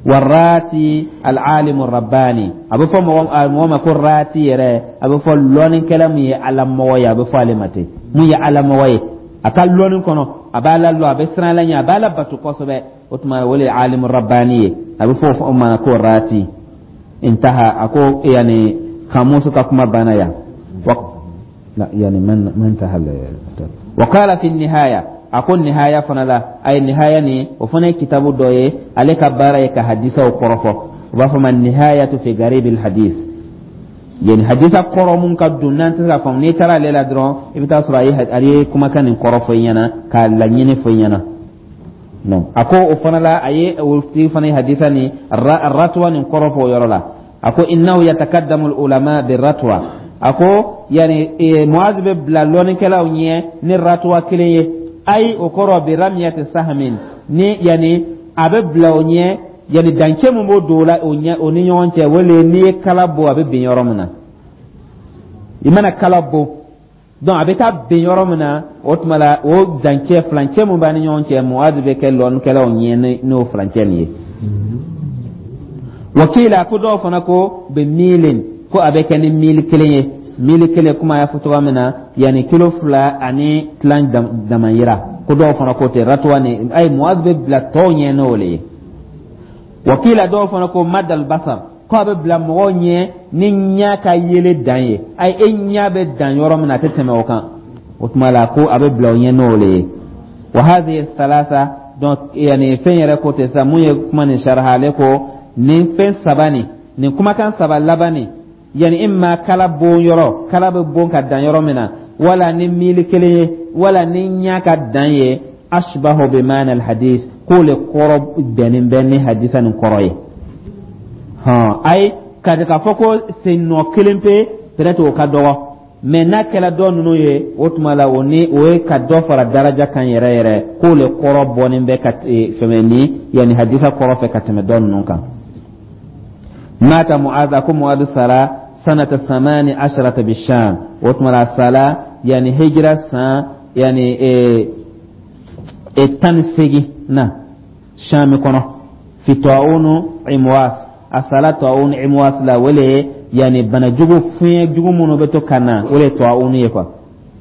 Warati alalimu rabbani, a bɛ fɔ mɔgɔ ma ko rati yɛrɛ, a bɛ fɔ lɔnnikɛla mun ye Ala mɔgɔ ye, a bɛ fɔ ale ma ten, mun ye Ala mɔgɔ ye, a ka lɔnni kɔnɔ, a b'a la lɔ, a bɛ siran Ala ɲɛ, a b'a la bato kosɛbɛ. O tuma, o de ye alimu rabbani ye, a bɛ fɔ o ma ko rati. Intaha, a ko yani kamusu ka kuma banna yan. La, yani man انتهى. وقال في النهاية، A ko Nihaya fana la, a ye Nihaya nin, o fana ye kitabu dɔ ye, ale ka baara ye ka hadisaw kɔrɔfɔ. U b'a fɔ ma Nihayatu fi Garibil Hadis, yani hadisa kɔrɔ mun ka don n'an tɛ se ka faamu. N'i taara ale la dɔrɔn, i bɛ taa sɔrɔ a ye kumakan nin kɔrɔ fɔ i ɲɛna, k'a laɲini fɔ i ɲɛna. Non, a ko o fana la, a ye o tigi fana ye hadisa ni ratuwa nin kɔrɔ fɔ o yɔrɔ la. A ko innahu yatakaddamu ulama bi ratwa. A ko yani Muaz bɛ bila lɔnnikɛlaw ɲɛ ni ratuwa kelen ye. Ayi, o kɔrɔ bi ramiyati sahamin ni, yani a bɛ bila o ɲɛ, yani dancɛ mun b'o don o la, o ɲɛ o ni ɲɔgɔn cɛ, o le n'i ye kala bon, a bɛ bin yɔrɔ min na. I mana kala bon, donc a bɛ taa bin yɔrɔ min na, o tuma la, o dancɛ furancɛ mun b'a ni ɲɔgɔn cɛ, Muaz bɛ kɛ lɔnnikɛlaw ɲɛ n'o furancɛ nin ye. Wakila, ko dɔw fana ko bɛ miilin, ko a bɛ kɛ ni miili kelen ye. Miili kelen, kuma y'a fɔ cogoya min na, yanni kilo 2 ani tilan damayira. Ko dɔw fana ko ten ratuwa ni ayi, Muaz bɛ bila tɔw ɲɛ n'o le ye. Wakila, dɔw fana ko madal basar, ko a bɛ bila mɔgɔw ɲɛ ni ɲɛ ka yele dan ye. Ayi, e ɲɛ bɛ dan yɔrɔ min na, a tɛ tɛmɛ o kan. O tuma la, ko a bɛ bila o ɲɛ n'o le ye. Wa hadhihi thalatha, donc yani fɛn yɛrɛ ko ten sisan, mun ye kuma nin saraha, ale ko nin fɛn saba nin kumakan saba laban nin, yani imma kala bon yɔrɔ, kala bɛ bon ka dan yɔrɔ min na, wala ni miili kelen ye, wala ni ɲɛ ka dan ye, ashbahu bi maana alhadis, k'o le kɔrɔ bɛnnen bɛ ni hadisa nin kɔrɔ ye. Hɔn, ayi, ka k'a fɔ ko sen nɔ kelen pe, peut-être o ka dɔgɔ, mais n'a kɛla dɔ ninnu ye, o tuma la, o ni o ye ka dɔ fara daraja kan yɛrɛ yɛrɛ, k'o le kɔrɔ bɔnnen bɛ ka fɛmɛ ni yanni hadisa kɔrɔ fɛ ka tɛmɛ dɔ ninnu kan. Mata Mu'adh, ko Mu'adh sara sanata 18 bisham. O tuma la, sala yani hijra san yani 18 na Sham kɔnɔ, fi ta'unu Imwas. A sala ta'un Imwas la, wele yani bana jugu, fiɲɛ jugu minnu bɛ to ka na, o de ye ta'unu ye quoi.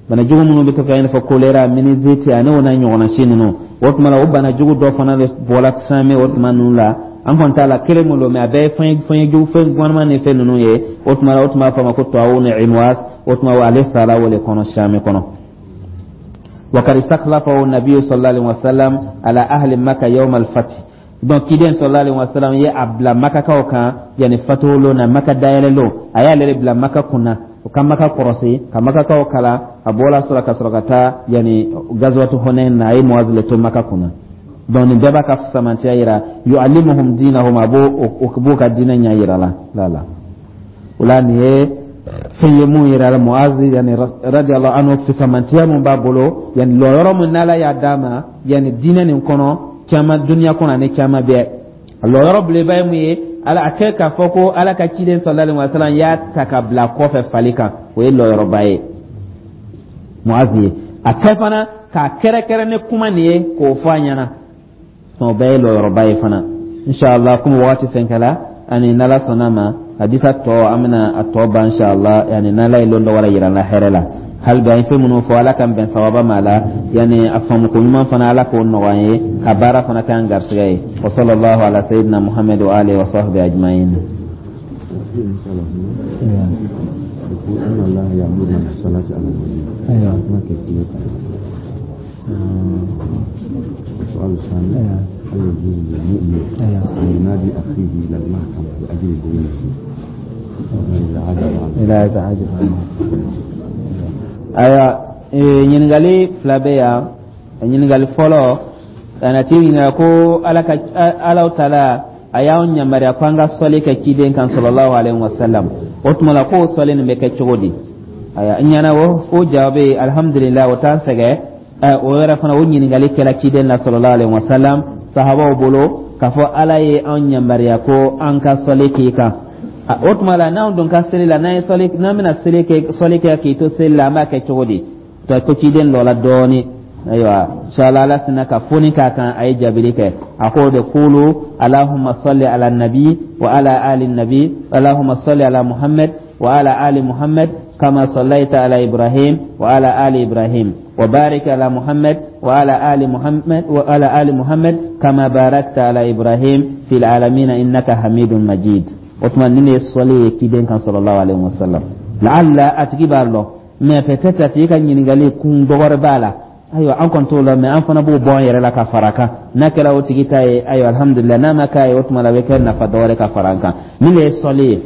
Bana jugu minnu bɛ to ka, i n'a fɔ choléra, méningite ani o n'a ɲɔgɔnna si ninnu. O tuma la, o bana jugu dɔ fana de bɔra Sami o tuma ninnu la. An kɔni t'a la kelen mun don, mais a bɛɛ ye fɛn jugu, fɛn gɔnman ni fɛn ninnu ye. O tuma la, o tuma b'a fɔ a ma ko ta'un Imwas. O tuma ale sara o de kɔnɔ, Sami kɔnɔ. وقد استخلفه النبي صلى الله عليه وسلم على أهل مكة يوم الفتح. Donc kiden sallallahu alaihi wasallam ye a bila Makakaw kan, yani fatuhu na, Maka dayɛlɛ lon, a y'ale de bila Maka kunna, o ka Maka kɔrɔsi, ka Makakaw kala. A bɔra sɔrɔ ka sɔrɔ ka taa yani gazwatu Hunain na, a ye Muaz le to Maka kunna. Donc nin bɛɛ b'a ka samantiya yira. Yu'allimuhum dinahum, a b'o b'o ka diinɛ ɲɛ yira la la la. O la, nin ye fɛn ye mun yira la, Muaz yani radiyallahu anhu, fisamantiya mun b'a bolo, yani lɔyɔrɔ mun n'Ala y'a d'a ma, yani diinɛ nin kɔnɔ caman, duniya kɔnɔ ani caman bɛɛ. A lɔyɔrɔ belebeleba ye mun ye? Ala a kɛ k'a fɔ ko Ala ka ciden sallallahu alaihi wasallam y'a ta ka bila kɔfɛ fali kan, o ye lɔyɔrɔba ye Muaz ye. A kɛ fana k'a kɛrɛkɛrɛ ni kuma nin ye k'o fɔ a ɲɛna, o bɛɛ ye lɔyɔrɔba ye fana. Inshallah, komi wagati fɛn kɛla, ani n'Ala sɔnna ma, hadisa tɔ, an bɛna a tɔ ban inshallah, yani n'Ala ye lon dɔ wɛrɛ yira n la hɛrɛ la. Hali bi an ye fɛn minnu fɔ, Ala k'an bɛn sababa ma la, yani a faamuko ɲuman fana, Ala k'o nɔgɔya an ye, ka baara fana k'an garisɛgɛ ye. Wa sallallahu ala sayyidina Muhammad wa alihi wa sahbihi ajma'in. يقول إن الله يأمرنا بالصلاة على النبي. ما كيفيتها؟ السؤال الثاني: هل يجوز للمؤمن أن ينادي أخيه إلى المحكمة لأجل دينه إذا عجز عنه؟ إلى عجز عنه. Ayiwa, ɲininkali fila bɛ yan. Ɲininkali fɔlɔ, a tigi ɲininka ko Ala ka Alaw taala a y'anw yamaruya ko an ka sɔli kɛ ciden kan sallallahu alaihi wasallam. O tuma la, k'o sɔli nin bɛ kɛ cogo di? Ayiwa, n ɲɛna o jaabi, alhamdulilah, o t'an sɛgɛn. O yɛrɛ fana, o ɲininkali kɛla ciden na sallallahu alaihi wasallam sahabaw bolo, k'a fɔ Ala ye anw yamaruya ko an ka sɔli k'i kan. O tuma la, n'anw dun ka seli la, n'an ye sɔli, n'an bɛna seli kɛ, sɔli kɛ k'i to seli la, an b'a kɛ cogo di? To ko ciden dɔ la dɔɔni. Ayiwa, inshallah, Ala sinna ka foni k'a kan, a ye jaabili kɛ. A ko de: kulu allahumma salli ala nabi wa ala ali nabi, allahumma salli ala Muhammad wa ala ali Muhammad kama sallaita ala Ibrahim wa ala ali Ibrahim, wa barik ala Muhammad wa ala ali Muhammad wa ala ali Muhammad kama barakta ala Ibrahim fil alamin innaka Hamidun Majid. O tuma, nin de ye sɔli ye ciden kan sallallahu alaihi wasallam. La'alla a tigi b'a lɔn, mais peut-être a tigi ka ɲininkali kun dɔ wɛrɛ b'a la. Ayiwa, an kɔni t'o la, mɛ an fana b'o bɔ an yɛrɛ la ka fara a kan. N'a kɛra o tigi ta ye, ayiwa, alhamdulilayi. N'a ma k'a ye, o tuma la a bɛ kɛ nafa dɔ wɛrɛ ka fara an kan. Nin de ye sɔli ye,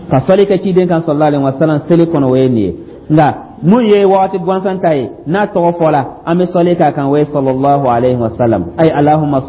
ka sɔli kɛ ciden kan sallallahu alaihi wasallam seli kɔnɔ, o ye nin ye. Nka mun ye wagati gansan ta ye, n'a tɔgɔ fɔla, an bɛ sɔli k'a kan, o ye sallallahu alaihi wasallam. Ay allahumma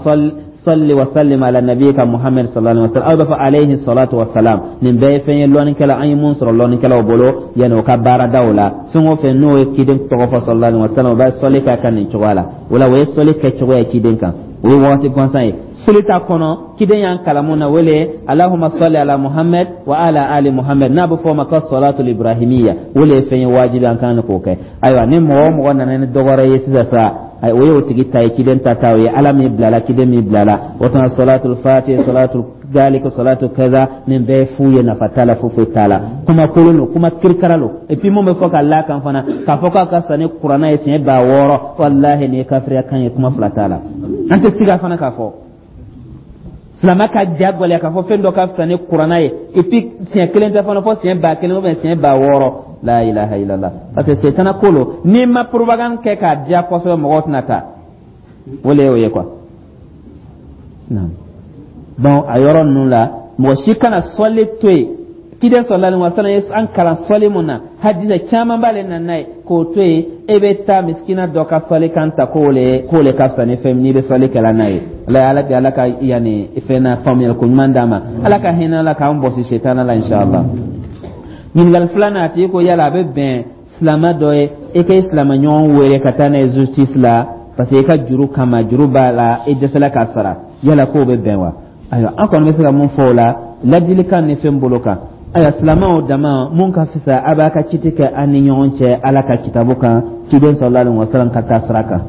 salli wa sallim ala nabiyika Muhammad sallallahu alaihi wasallam, aw b'a fɔ alayhi salatu wa salam. Nin bɛɛ ye fɛn ye lɔnnikɛla, an ye mun sɔrɔ lɔnnikɛlaw bolo yanni o ka baaradaw la. Fɛn o fɛn n'o ye ciden tɔgɔ fɔ sallallahu alaihi wasallam, o bɛ sɔli k'a kan nin cogoya la. O la, o ye sɔli kɛcogo ye ciden kan, o ye wagati gansan ye. Seli ta kɔnɔ, ciden y'an kalan mun na, o le allahumma salli ala Muhammad wa ala ali Muhammad, n'a bɛ fɔ o ma ko salatul ibrahimiya. O le ye fɛn ye wajibi, an kan k'o kɛ. Ayiwa, ni mɔgɔ o mɔgɔ nana ni dɔ wɛrɛ ye sisan sa, o ye o tigi ta ye, ciden ta ta o ye, Ala min bilala, ciden min bilala. O tuma salatul fatih, salatul dalika, salatu kaza, nin bɛɛ ye fu ye, nafa t'a la, foyi foyi t'a la, kuma kolon don, kuma kirikara don. Et puis mun bɛ fɔ ka la kan fana, k'a fɔ k'a ka fisa ni Kuranɛ ye siɲɛ 6000, walahi, nin ye kafiriya kan ye, kuma fila t'a la. An tɛ siga fana k'a fɔ silamɛ ka ja gɛlɛya k'a fɔ fɛn dɔ ka fisa ni Kuranɛ ye, et puis siɲɛ kelen tɛ fana, fɔ siɲɛ 1000 ou bien siɲɛ 60,000. La ilaha illallah. Parce que setana ko lo, n'i ma propagande kɛ k'a diya kosɛbɛ, mɔgɔw tɛna taa. O le y'o ye quoi. Donc a yɔrɔ ninnu la, mɔgɔ si kana sɔli to yen. Ciden sallallahu alaihi wasallam ye an kalan sɔli mun na, hadisa caman b'ale na n'a ye, k'o to yen, e bɛ taa misikina dɔ ka sɔli kan ta k'o le ka fisa ni fɛn n'i bɛ sɔli kɛla n'a ye. Ala, ala, ala ka yanni fɛn na faamuyali ko ɲuman d'a ma. Ala ka hinɛ la k'an bɔsi setana la, inshallah. Ɲininkali filanan, a tigi ko yala a bɛ bɛn silamɛ dɔ ye e ka i silamɛ ɲɔgɔn wele ka taa n'a ye justice la, parce que i ka juru kama, juru b'a la, i dɛsɛla k'a sara, yala k'o bɛ bɛn wa? Ayiwa, an kɔni bɛ se ka mun fɔ o la ladilikan ni fɛn bolo kan? Ayiwa, silamɛw dama, mun ka fisa, a b'a ka kiti kɛ an ni ɲɔgɔn cɛ Ala ka kitabu kan, ciden sallallahu alaihi wasallam ka taa sira kan.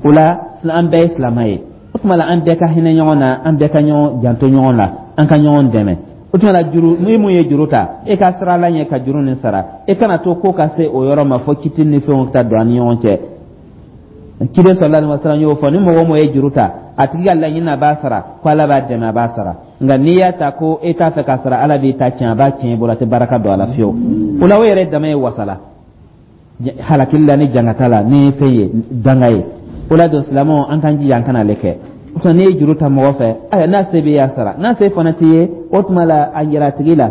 O la, an bɛɛ ye silamɛ ye. O tuma la, an bɛɛ ka hinɛ ɲɔgɔn na, an bɛɛ ka ɲɔgɔn janto ɲɔgɔn la, an ka ɲɔgɔn dɛmɛ. O tuma la, juru ni mun ye juru ta, e ka sira la ɲɛ ka juru nin sara. E kana to ko ka se o yɔrɔ ma fo kiti ni fɛnw ta don an ni ɲɔgɔn cɛ. Ciden sallallahu alaihi wasallam y'o fɔ, ni mɔgɔ o mɔgɔ ye juru ta, a tigi ka laɲini a b'a sara, ko Ala b'a dɛmɛ, a b'a sara. Nka n'i y'a ta ko e t'a fɛ k'a sara, Ala b'i ta tiɲɛ, a b'a tiɲɛ i bolo, a tɛ baraka don a la fiyewu. O la, o yɛrɛ dama ye wasala halakili la ni jangata la ni fɛn ye danga ye. O la don, silamɛw, an k'an jija an kana ale kɛ. O tuma, n'i ye juru ta mɔgɔ fɛ, ayiwa, n'a se bɛ y'a sara, n'a se fana t'i ye, o tuma la, a yira a tigi la: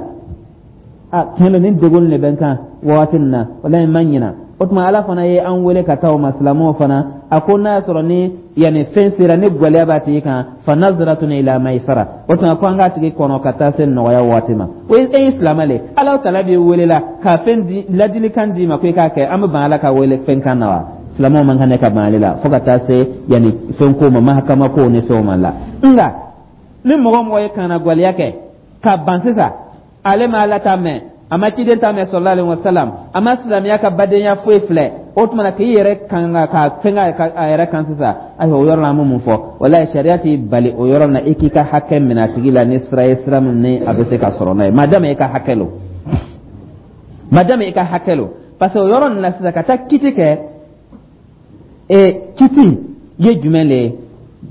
a tiɲɛ don, nin degun de bɛ n kan wagati nin na, walahi n ma ɲina. O tuma, Ala fana ye an wele ka taa o ma. Silamɛw fana, a ko n'a y'a sɔrɔ ni yanni fɛn sera ni gwɛlɛya b'a tigi kan, fa naziratun ila maisara, o tuma ko an k'a tigi kɔnɔ ka taa se nɔgɔya waati ma. O ye e ye silamɛ le, Ala taala b'i wele la ka fɛn di, ladilikan d'i ma ko i k'a kɛ. An bɛ ban Ala ka wele fɛn kan na wa? Silamɛw man kan ne ka ban ale la fo ka taa se yanni fɛn ko ma, mahakama ko ni fɛnw ma la. Nka ni mɔgɔ o mɔgɔ ye kannagwɛlɛya kɛ ka ban sisan, ale ma Ala ta mɛn, a ma ciden ta mɛn sallallahu alaihi wasallam, a ma silamɛya ka badenya foyi filɛ, o tuma na k'i yɛrɛ kan ka fɛn a yɛrɛ kan sisan, ayiwa, o yɔrɔ la, an bɛ mun fɔ? Walayi, sariya t'i bali o yɔrɔ la i k'i ka hakɛ minɛ a tigi la ni sira ye, sira min ni a bɛ se ka sɔrɔ n'a ye, madama i ka hakɛ lo, madama i ka hakɛ lo. Parce que o yɔrɔ nin na sisan, ka taa kiti kɛ, kiti ye jumɛn le ye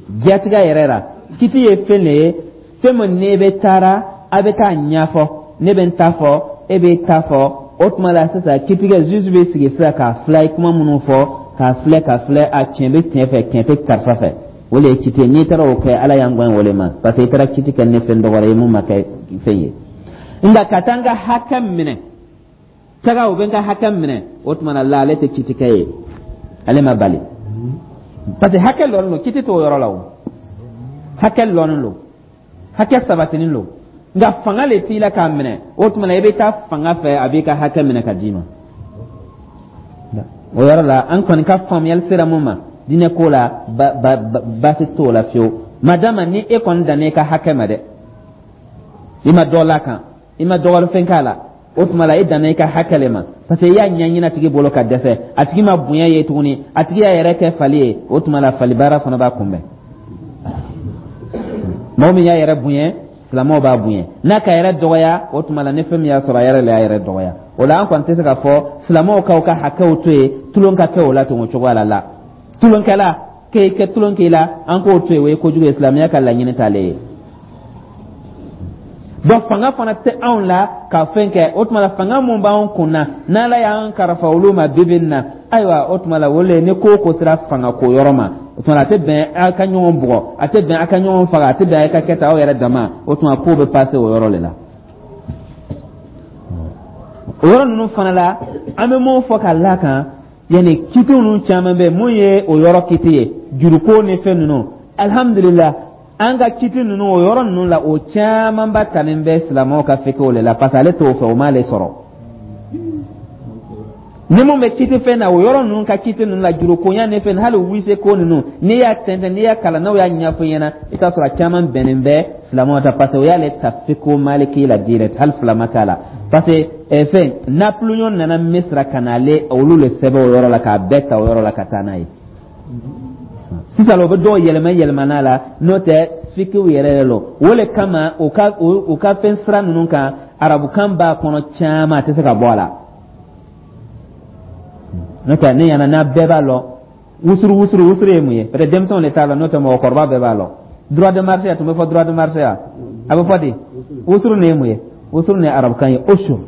diyatigɛ yɛrɛ la? Kiti ye fɛn le ye, fɛn min n'e bɛ taara, a bɛ taa ɲɛfɔ, ne bɛ n ta fɔ, e bɛ ta fɔ. O tuma la sisan, kitigɛ juge bɛ sigi sisan k'a filɛ, i kuma minnu fɔ, k'a filɛ, k'a filɛ, a tiɲɛ bɛ tiɲɛ fɛ, tiɲɛ tɛ karisa fɛ. O de ye kiti ye. N'i taara o kɛ, Ala y'an gɛn o le ma, parce que i taara kiti kɛ ni fɛn dɔ wɛrɛ ye mun ma kɛ fɛn ye. Nka ka taa n ka hakɛ minɛ, taga u bɛ n ka hakɛ minɛ, o tuma na la, ale tɛ kitikɛ ye, ale ma bali, parce que hakɛ lɔnnen don, kiti t'o yɔrɔ la. O hakɛ lɔnnen don, hakɛ sabatinin don, nka fanga le t'i la k'a minɛ. O tuma na, i bɛ taa fanga fɛ, a b'i ka hakɛ minɛ ka d'i ma. O yɔrɔ la, an kɔni ka faamuyali sera mun ma diinɛ ko la, baasi t'o la fiyewu, madama ni e kɔni danna i ka hakɛ ma dɛ, i ma dɔ la kan, i ma dɔgɔli fɛn k'a la. O tuma la, e danna i ka hakɛ le ma, parce que i y'a ɲɛɲini a tigi bolo ka dɛsɛ, a tigi ma bonya ye tuguni, a tigi y'a yɛrɛ kɛ fali ye. O tuma la, fali baara fana b'a kunbɛn. Mɔgɔ min y'a yɛrɛ bonya, silamɛw b'a bonya. N'a ka yɛrɛ dɔgɔya, o tuma la, ni fɛn min y'a sɔrɔ, a yɛrɛ le y'a yɛrɛ dɔgɔya. O la, an kɔni tɛ se k'a fɔ silamɛw k'aw ka hakɛw to yen, tulon ka kɛ o la ten o cogoya la. La tulonkɛla k'e kɛ tulon k'i la, an k'o to yen, o ye kojugu ye, silamɛya ka laɲini t'ale ye. Donc fanga fana tɛ anw la ka fɛn kɛ. O tuma la, fanga mun b'anw kun na, n'Ala y'an karafa olu ma bibi in na, Ayiwa, o tuma la, o le ni ko o ko sera fanga ko yɔrɔ ma, o tuma la, a tɛ bɛn aw ka ɲɔgɔn bugɔ, a tɛ bɛn aw ka ɲɔgɔn faga, a tɛ bɛn aw ka kɛ tan aw yɛrɛ dama. O tuma ko bɛ passer o yɔrɔ de la. O yɔrɔ ninnu fana la, an bɛ mun fɔ ka la kan, yanni kiti ninnu caman bɛ mun ye o yɔrɔ kiti ye, juruko ni fɛn ninnu, alihamudulila, an ka kiti ninnu, o yɔrɔ ninnu la, o camanba talen bɛ silamɛw ka fikiw de la, parce que ale t'o fɛ, o m'ale sɔrɔ. Ni mun bɛ kiti fɛn na, o yɔrɔ ninnu ka kiti ninnu la, jurukonya ni fɛn, hali wise ko ninnu, n'i y'a tɛntɛn, n'i y'a kalan, n'o y'a ɲɛfɔ ɲɛna, i t'a sɔrɔ a caman bɛnnen bɛ silamɛw ta, parce que o y'ale ta fikiw maliki la direct, hali fila ma k'a la, parce que fɛn Napoléon nana Misira ka na ale olu le sɛbɛn o yɔrɔ la, k'a bɛɛ ta o yɔrɔ la ka taa n'a ye. Sisan o bɛ dɔw yɛlɛma yɛlɛma n'a la, n'o tɛ fikiw yɛrɛ yɛrɛ lɔ. O le kama u ka fɛn sira ninnu kan, arabukan b'a kɔnɔ caman, a tɛ se ka bɔ a la. N'o tɛ ne ɲɛna n'a bɛɛ b'a lɔn, wusuru wusuru wusuru ye mun ye? Peut-être denmisɛnw de t'a lɔn, n'o tɛ mɔgɔkɔrɔba bɛɛ b'a lɔn. Droit de marché, a tun bɛ fɔ droit de marché wa, a bɛ fɔ di? Wusuru nin ye mun ye? Wusuru nin ye arabukan ye, usur.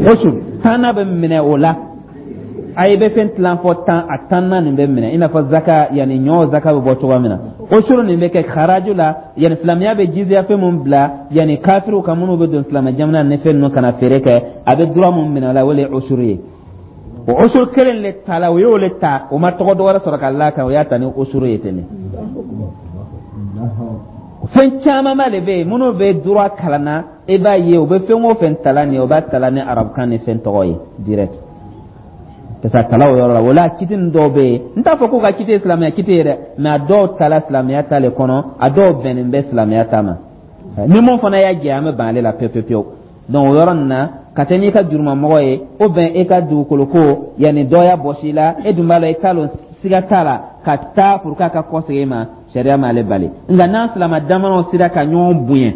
Usur tanna bɛ minɛ o la. A ye bɛ fɛn tilan fɔ 10, a tanna nin bɛ minɛ, i n'a fɔ zaka, yanni ɲɔ zaka bɛ bɔ cogoya min na. Usuru nin bɛ kɛ haraju la, yanni silamɛya bɛ jiziya fɛn mun bila, yanni kafiriw kan minnu bɛ don silamɛ jamana ni fɛn ninnu kana feere kɛ, a bɛ droit mun minɛ o la, o le ye usuru ye. O usuru kelen le ta la, o y'o le ta, o ma tɔgɔ dɔ wɛrɛ sɔrɔ ka la kan, o y'a ta ni usuru ye ten de. Fɛn camanba de bɛ yen minnu bɛ droit kalan na, i b'a ye u bɛ fɛn o fɛn tala nin ye, u b'a tala ni arabukan ni fɛn tɔgɔ ye direct, parce que a tala o yɔrɔ la. O la, kiti nin dɔw bɛ yen, n t'a fɔ k'u ka kiti ye silamɛya kiti ye dɛ, mais a dɔw tala silamɛya ta le kɔnɔ, a dɔw bɛnnen bɛ silamɛya ta ma. Ni mun fana y'a jɛ, an bɛ ban ale la pewu pewu pewu. Donc o yɔrɔ nin na, ka taa n'i ka jurumamɔgɔ ye, o bɛn e ka dugukolo ko, yanni dɔ y'a bɔsi i la, e dun b'a la, i t'a lɔn, siga t'a la, ka taa pour k'a ka kɔsegin e ma, sariya m'ale bali. Nka n'an silama damanaw sera ka ɲɔgɔn bonya,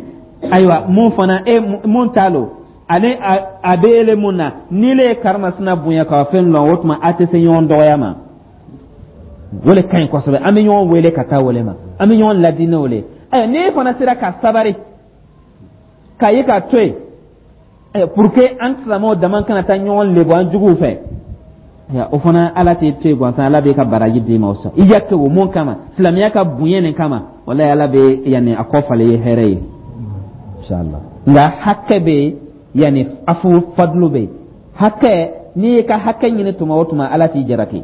ayiwa, mun fana e mun t'a lɔn, ale a bɛ ele mun na, ni le ye karimasina bonya ka fɛn lɔn, o tuma a tɛ se ɲɔgɔn dɔgɔya ma. O le ka ɲi kosɛbɛ. An bɛ ɲɔgɔn wele ka taa wele ma, an bɛ ɲɔgɔn ladi n'o le. Ayiwa, n'e fana sera ka sabari k'a ye k'a to yen pour que an silamɛw dama kana taa ɲɔgɔn lebu an juguw fɛ, o fana Ala t'i to yen gansan, Ala b'i ka baraji d'i ma. O sɔn i ya kɛ o mun kama, silamɛya ka bonya nin kama, walayi, Ala bɛ yanni a kɔ falen ye hɛrɛ ye, inshallah. Nka hakɛ bɛ yen, yanni afu fadulu bɛ yen. Hakɛ, n'i y'i ka hakɛ ɲini tuma o tuma, Ala t'i jalaki.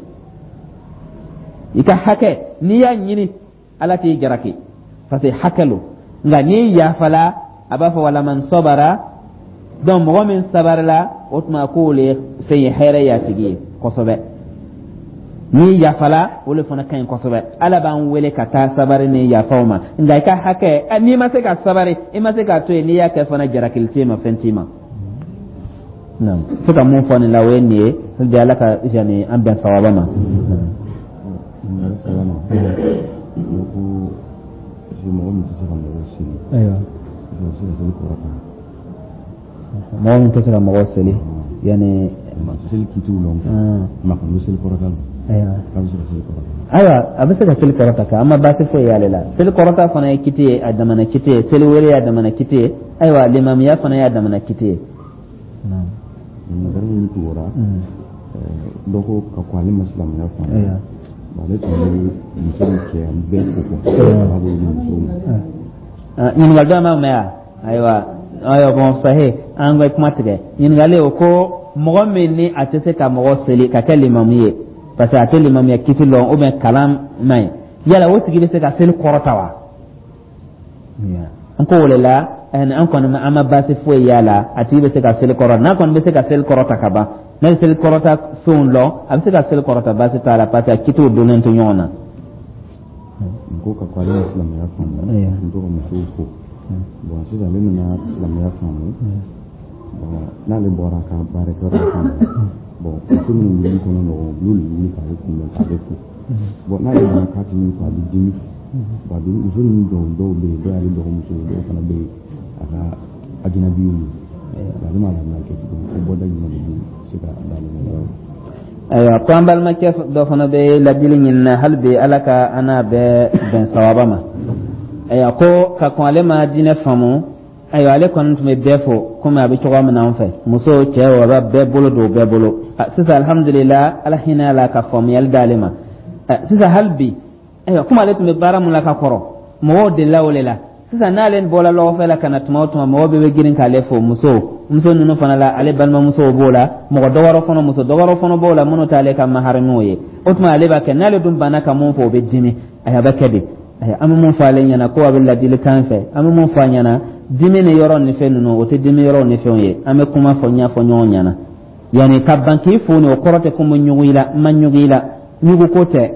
I ka hakɛ, n'i y'a ɲini, Ala t'i jalaki, parce que hakɛ lo. Nka n'i yafala, a b'a fɔ walaman sabara. Donc mɔgɔ min sabarila, o tuma k'o le fɛn ye hɛrɛ ye a tigi ye kosɛbɛ. N'i yafala, o le fana ka ɲi kosɛbɛ. Ala b'an wele ka taa sabari ni yafaw ma. Nka i ka hakɛ, n'i ma se ka sabari, i ma se k'a to yen, n'i y'a kɛ fana, jarakili t'i ma, fɛn t'i ma. Se ka mun fɔ nin la, o ye nin ye. Hali Ala ka yani an bɛn sawaba ma. Mɔgɔ min tɛ se ka mɔgɔw seli. Ayiwa. Bɛ se ka seli kɔrɔta. Mɔgɔ min tɛ se ka mɔgɔw seli, yanni seli kitiw lɔn, ma kɔni bɛ seli kɔrɔta la. Ayiwa. K'a bɛ se ka seli kɔrɔta. Ayiwa, a bɛ se ka seli kɔrɔta kɛ, an ma baasi foyi y'ale la. Seli kɔrɔta fana ye kiti ye, a damana kiti ye. Seli wele y'a damana kiti ye. Ayiwa, limamiya fana y'a damana kiti ye. Ɲininkali min tugura, dɔ ko ka ko ale ma silamɛya faamu, ale tun bɛ muso ni cɛ bɛɛ ko fɔ a b'a bolo di musow ma. Ɲininkali dɔ ma mɛn yan. Ayiwa, ayiwa, bon, sahe an ka kuma tigɛ. Ɲininkali o ko mɔgɔ min ni a tɛ se ka mɔgɔ seli ka kɛ limamu ye, parce que a tɛ limamuya kiti lɔn ou bien kalan man ɲi, yala o tigi bɛ se ka seli kɔrɔta wa? An ko o de la, an kɔni an ma baasi foyi y'a la, a tigi bɛ se ka seli kɔrɔta. N'a kɔni bɛ se ka seli kɔrɔta ka ban, n'a bɛ seli kɔrɔta fɛnw lɔn, a bɛ se ka seli kɔrɔta, baasi t'a la, parce que a kitiw donnen to ɲɔgɔn na. N ko ka ko ale ma silamɛya faamu, n to ka musow fo. Bon, sisan ale nana silamɛya faamu. Bon, n'ale bɔra a ka baarakɛyɔrɔ la ka na, bon, muso minnu bɛ kɔnɔ nɔgɔn, olu de wuli k'ale kunbɛn k'ale fo. Bon, n'ale nana k'a tɛ min fɔ, a bɛ dimi. Bon, a bɛ muso ninnu dɔw dɔw bɛ yen, dɔw y'ale dɔgɔmuso ye, dɔw fana bɛ yen a ka ajinabiw ye. Ale m'a lamɛn kɛ tuguni ko bɔda jumɛn de bɛ se ka d'ale ma? Ayiwa, ko an balimakɛ dɔ fana bɛ ladili ɲini, hali bi Ala ka an n'a bɛɛ bɛn sawaba ma. Ayiwa, ko ka kɔn ale ma diinɛ faamu. Ayiwa, ale kɔni tun bɛ bɛɛ fo komi a bɛ cogoya min na an fɛ, muso, cɛ, a bɛ bɛɛ bolo don bɛɛ bolo. Sisan, alhamdulila, Ala hinɛ a la ka faamuyali d'ale ma. Sisan hali bi, ayiwa, komi ale tun bɛ baara mun la ka kɔrɔ, mɔgɔw delila o de la. Sisan n'ale bɔra lɔgɔfɛ la ka na tuma o tuma, mɔgɔw bɛɛ bɛ girin k'ale fo. Muso ninnu fana la, ale balimamusow b'o la, mɔgɔ dɔwɛrɛ fana, muso dɔwɛrɛ fana b'o la minnu t'ale ka maharamiw ye. O tuma ale b'a kɛ, n'ale dun banna ka mun fɔ, o bɛ dimi. Ayiwa, a bɛ kɛ de. Ayiwa, an bɛ mun fɔ ale ɲɛna, ko a bɛ ladilikan fɛ, an bɛ mun fɔ a ɲɛna, dimi ni yɔrɔ ni fɛn ninnu, o tɛ dimi yɔrɔ ni fɛnw ye. An bɛ kuma fɔ ɲɛfɔ ɲɔgɔn ɲɛna. Yanni ka ban k'i fo nin, o kɔrɔ tɛ ko n bɛ ɲugu i la, n ma ɲugu i la, ɲugu ko tɛ,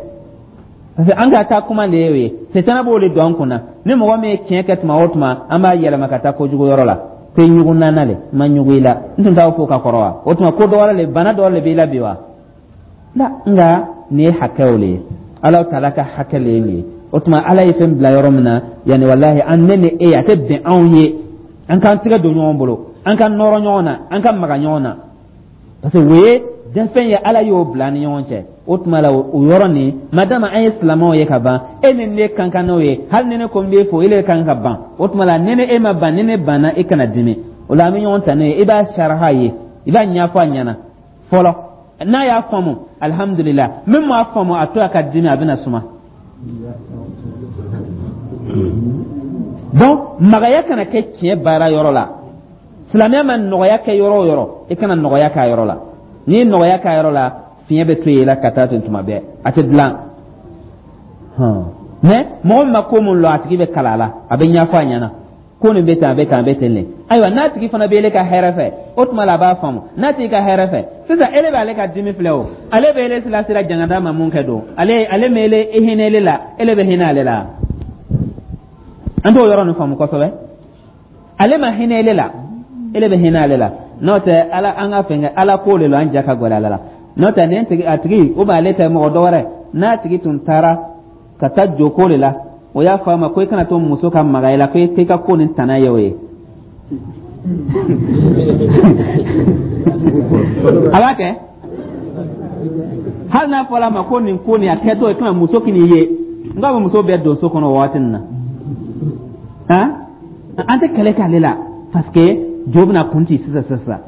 parce que an ka taa kuma de ye o ye. Setana b'o de don an kunna. Ni mɔgɔ min ye tiɲɛ kɛ tuma o tuma, an b'a yɛlɛma ka taa kojugu yɔrɔ la ko i ɲugu nana le. N ma ɲugu i la, n tun t'aw fo ka kɔrɔ wa? O tuma ko dɔ wɛrɛ le, bana dɔ le b'i la bi wa? La, nka nin ye hakɛw le ye, Ala taala ka hakɛ le ye nin ye. O tuma Ala ye fɛn bila yɔrɔ min na, yanni walahi an ne ni e, a tɛ bɛn anw ye an k'an tɛgɛ don ɲɔgɔn bolo, an ka nɔrɔ ɲɔgɔn na, an ka maga ɲɔgɔn na, parce que o ye dɛfɛn ye, Ala y'o bila an ni ɲɔgɔn cɛ. O tuma la, o yɔrɔ nin, madama an ye silamɛw ye ka ban, e ni ne kan kan n'o ye. Hali ni ne ko n b'e fo, ele kan ka ban. O tuma la, ni ne e ma ban, ni ne banna, e kana dimi. O la an bɛ ɲɔgɔn ta n'o ye. I b'a saraha ye, i b'a ɲɛfɔ a ɲɛna fɔlɔ. N'a y'a faamu, alihamudulila. Min m'a faamu, a to a ka dimi, a bɛna suma. Donc magaya kana kɛ tiɲɛ baara yɔrɔ la. Silamɛya ma nɔgɔya kɛ yɔrɔ o yɔrɔ, i kana nɔgɔya k'a yɔrɔ la. N'i ye nɔgɔya k'a yɔrɔ la, fiɲɛ bɛ to yen la ka taa ten tuma bɛɛ, a tɛ dilan. Mais mɔgɔ min ma ko mun lɔn, a tigi bɛ kalan a la, a bɛ ɲɛfɔ a ɲɛna ko nin bɛ tan, a bɛ tan, a bɛ ten de. Ayiwa, n'a tigi fana bɛ ele ka hɛrɛ fɛ, o tuma la a b'a faamu. N'a tigi ka hɛrɛ fɛ, sisan ele b'ale ka dimi filɛ, o ale bɛ ele lasira jangada ma mun kɛ don, ale ma ele hinɛ ele la, ele bɛ hinɛ ale la. An t'o yɔrɔ nin faamu kosɛbɛ. Ale ma hinɛ ele la, ele bɛ hinɛ ale la. N'o tɛ, Ala an ka fɛn kɛ, Ala ko de la, an ja ka gɛlɛn ale la. N'o tɛ, nin tigi, a tigi o b'ale tɛ mɔgɔ dɔ wɛrɛ, n'a tigi tun taara ka taa jo ko de la, o y'a fɔ a ma ko i kana to muso ka maga i la, ko i ka ko nin tana ye o ye, a b'a kɛ. Hali n'a fɔra a ma ko nin ko nin a kɛtɔ i kana muso k'i ye, n k'a bɛ muso bɛɛ don so kɔnɔ o waati nin na. Han, an tɛ kɛlɛ k'ale la, parce que jo bɛna kun ci sisan sisan.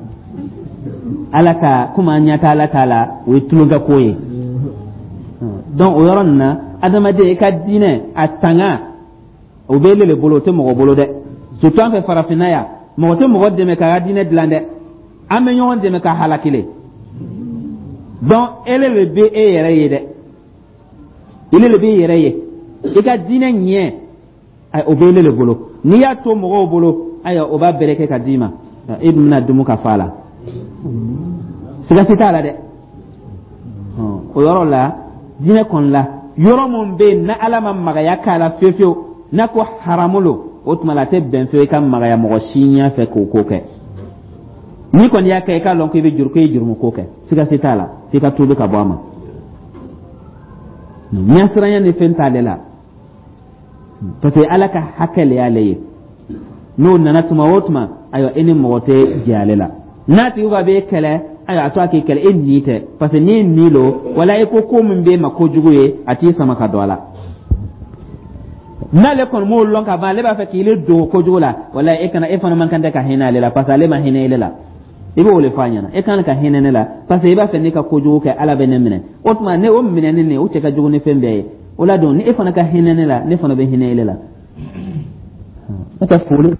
Ala ka komi an ɲɛ tɛ Ala t'a la, o ye tulonkɛ ko ye. Donc o yɔrɔ nin na, adamaden i ka diinɛ a tanga, o bɛ ele le bolo, o tɛ mɔgɔ bolo dɛ. Surtout an fɛ farafinna yan, mɔgɔ tɛ mɔgɔ dɛmɛ k'a ka diinɛ dilan dɛ, an bɛ ɲɔgɔn dɛmɛ ka halaki le. Donc ele le bɛ e yɛrɛ ye dɛ, ele le bɛ e yɛrɛ ye. I ka diinɛ ɲɛ, o bɛ ele le bolo. N'i y'a to mɔgɔw bolo, ayiwa, o b'a bɛrɛ kɛ ka d'i ma, e dun bɛna dumu ka fa a la, siga si t'a la dɛ. O yɔrɔ la, diinɛ kɔni la, yɔrɔ mun bɛ yen n'Ala ma magaya k'a la fiyewu fiyewu, n'a ko haramu lo, o tuma la a tɛ bɛn fiyewu i ka magaya mɔgɔ si ɲɛ fɛ k'o ko kɛ. N'i kɔni y'a kɛ, i k'a lɔn k'i bɛ juru, k'i ye jurumu ko kɛ, siga si t'a la, f'i ka tuubi ka bɔ a ma. Ɲɛsiranya ni fɛn t'ale la, parce que Ala ka hakɛ le y'ale ye. N'o nana tuma o tuma, ayiwa, e ni mɔgɔ tɛ jɛ ale la. N'a tigi ko a b'e kɛlɛ, ayiwa, a to a k'i kɛlɛ, e ni tɛ, parce que n'i ni lo wala i ko ko min b'e ma kojugu ye, a t'i sama ka don a la. N'ale kɔni m'o lɔn ka ban, ale b'a fɛ k'i le don kojugu la, wala e kana, e fana man kan tɛ ka hinɛ ale la, parce que ale ma hinɛ ele la. I b'o le fɔ a ɲɛna: e kan ka hinɛ ne la, parce que i b'a fɛ ne ka kojugu kɛ, Ala bɛ ne minɛ. O tuma ne o minɛni nin, o cɛ ka jugu ni fɛn bɛɛ ye. O la don, ni e fana ka hinɛ ne la, ne fana bɛ hinɛ ele la. N'o tɛ foli.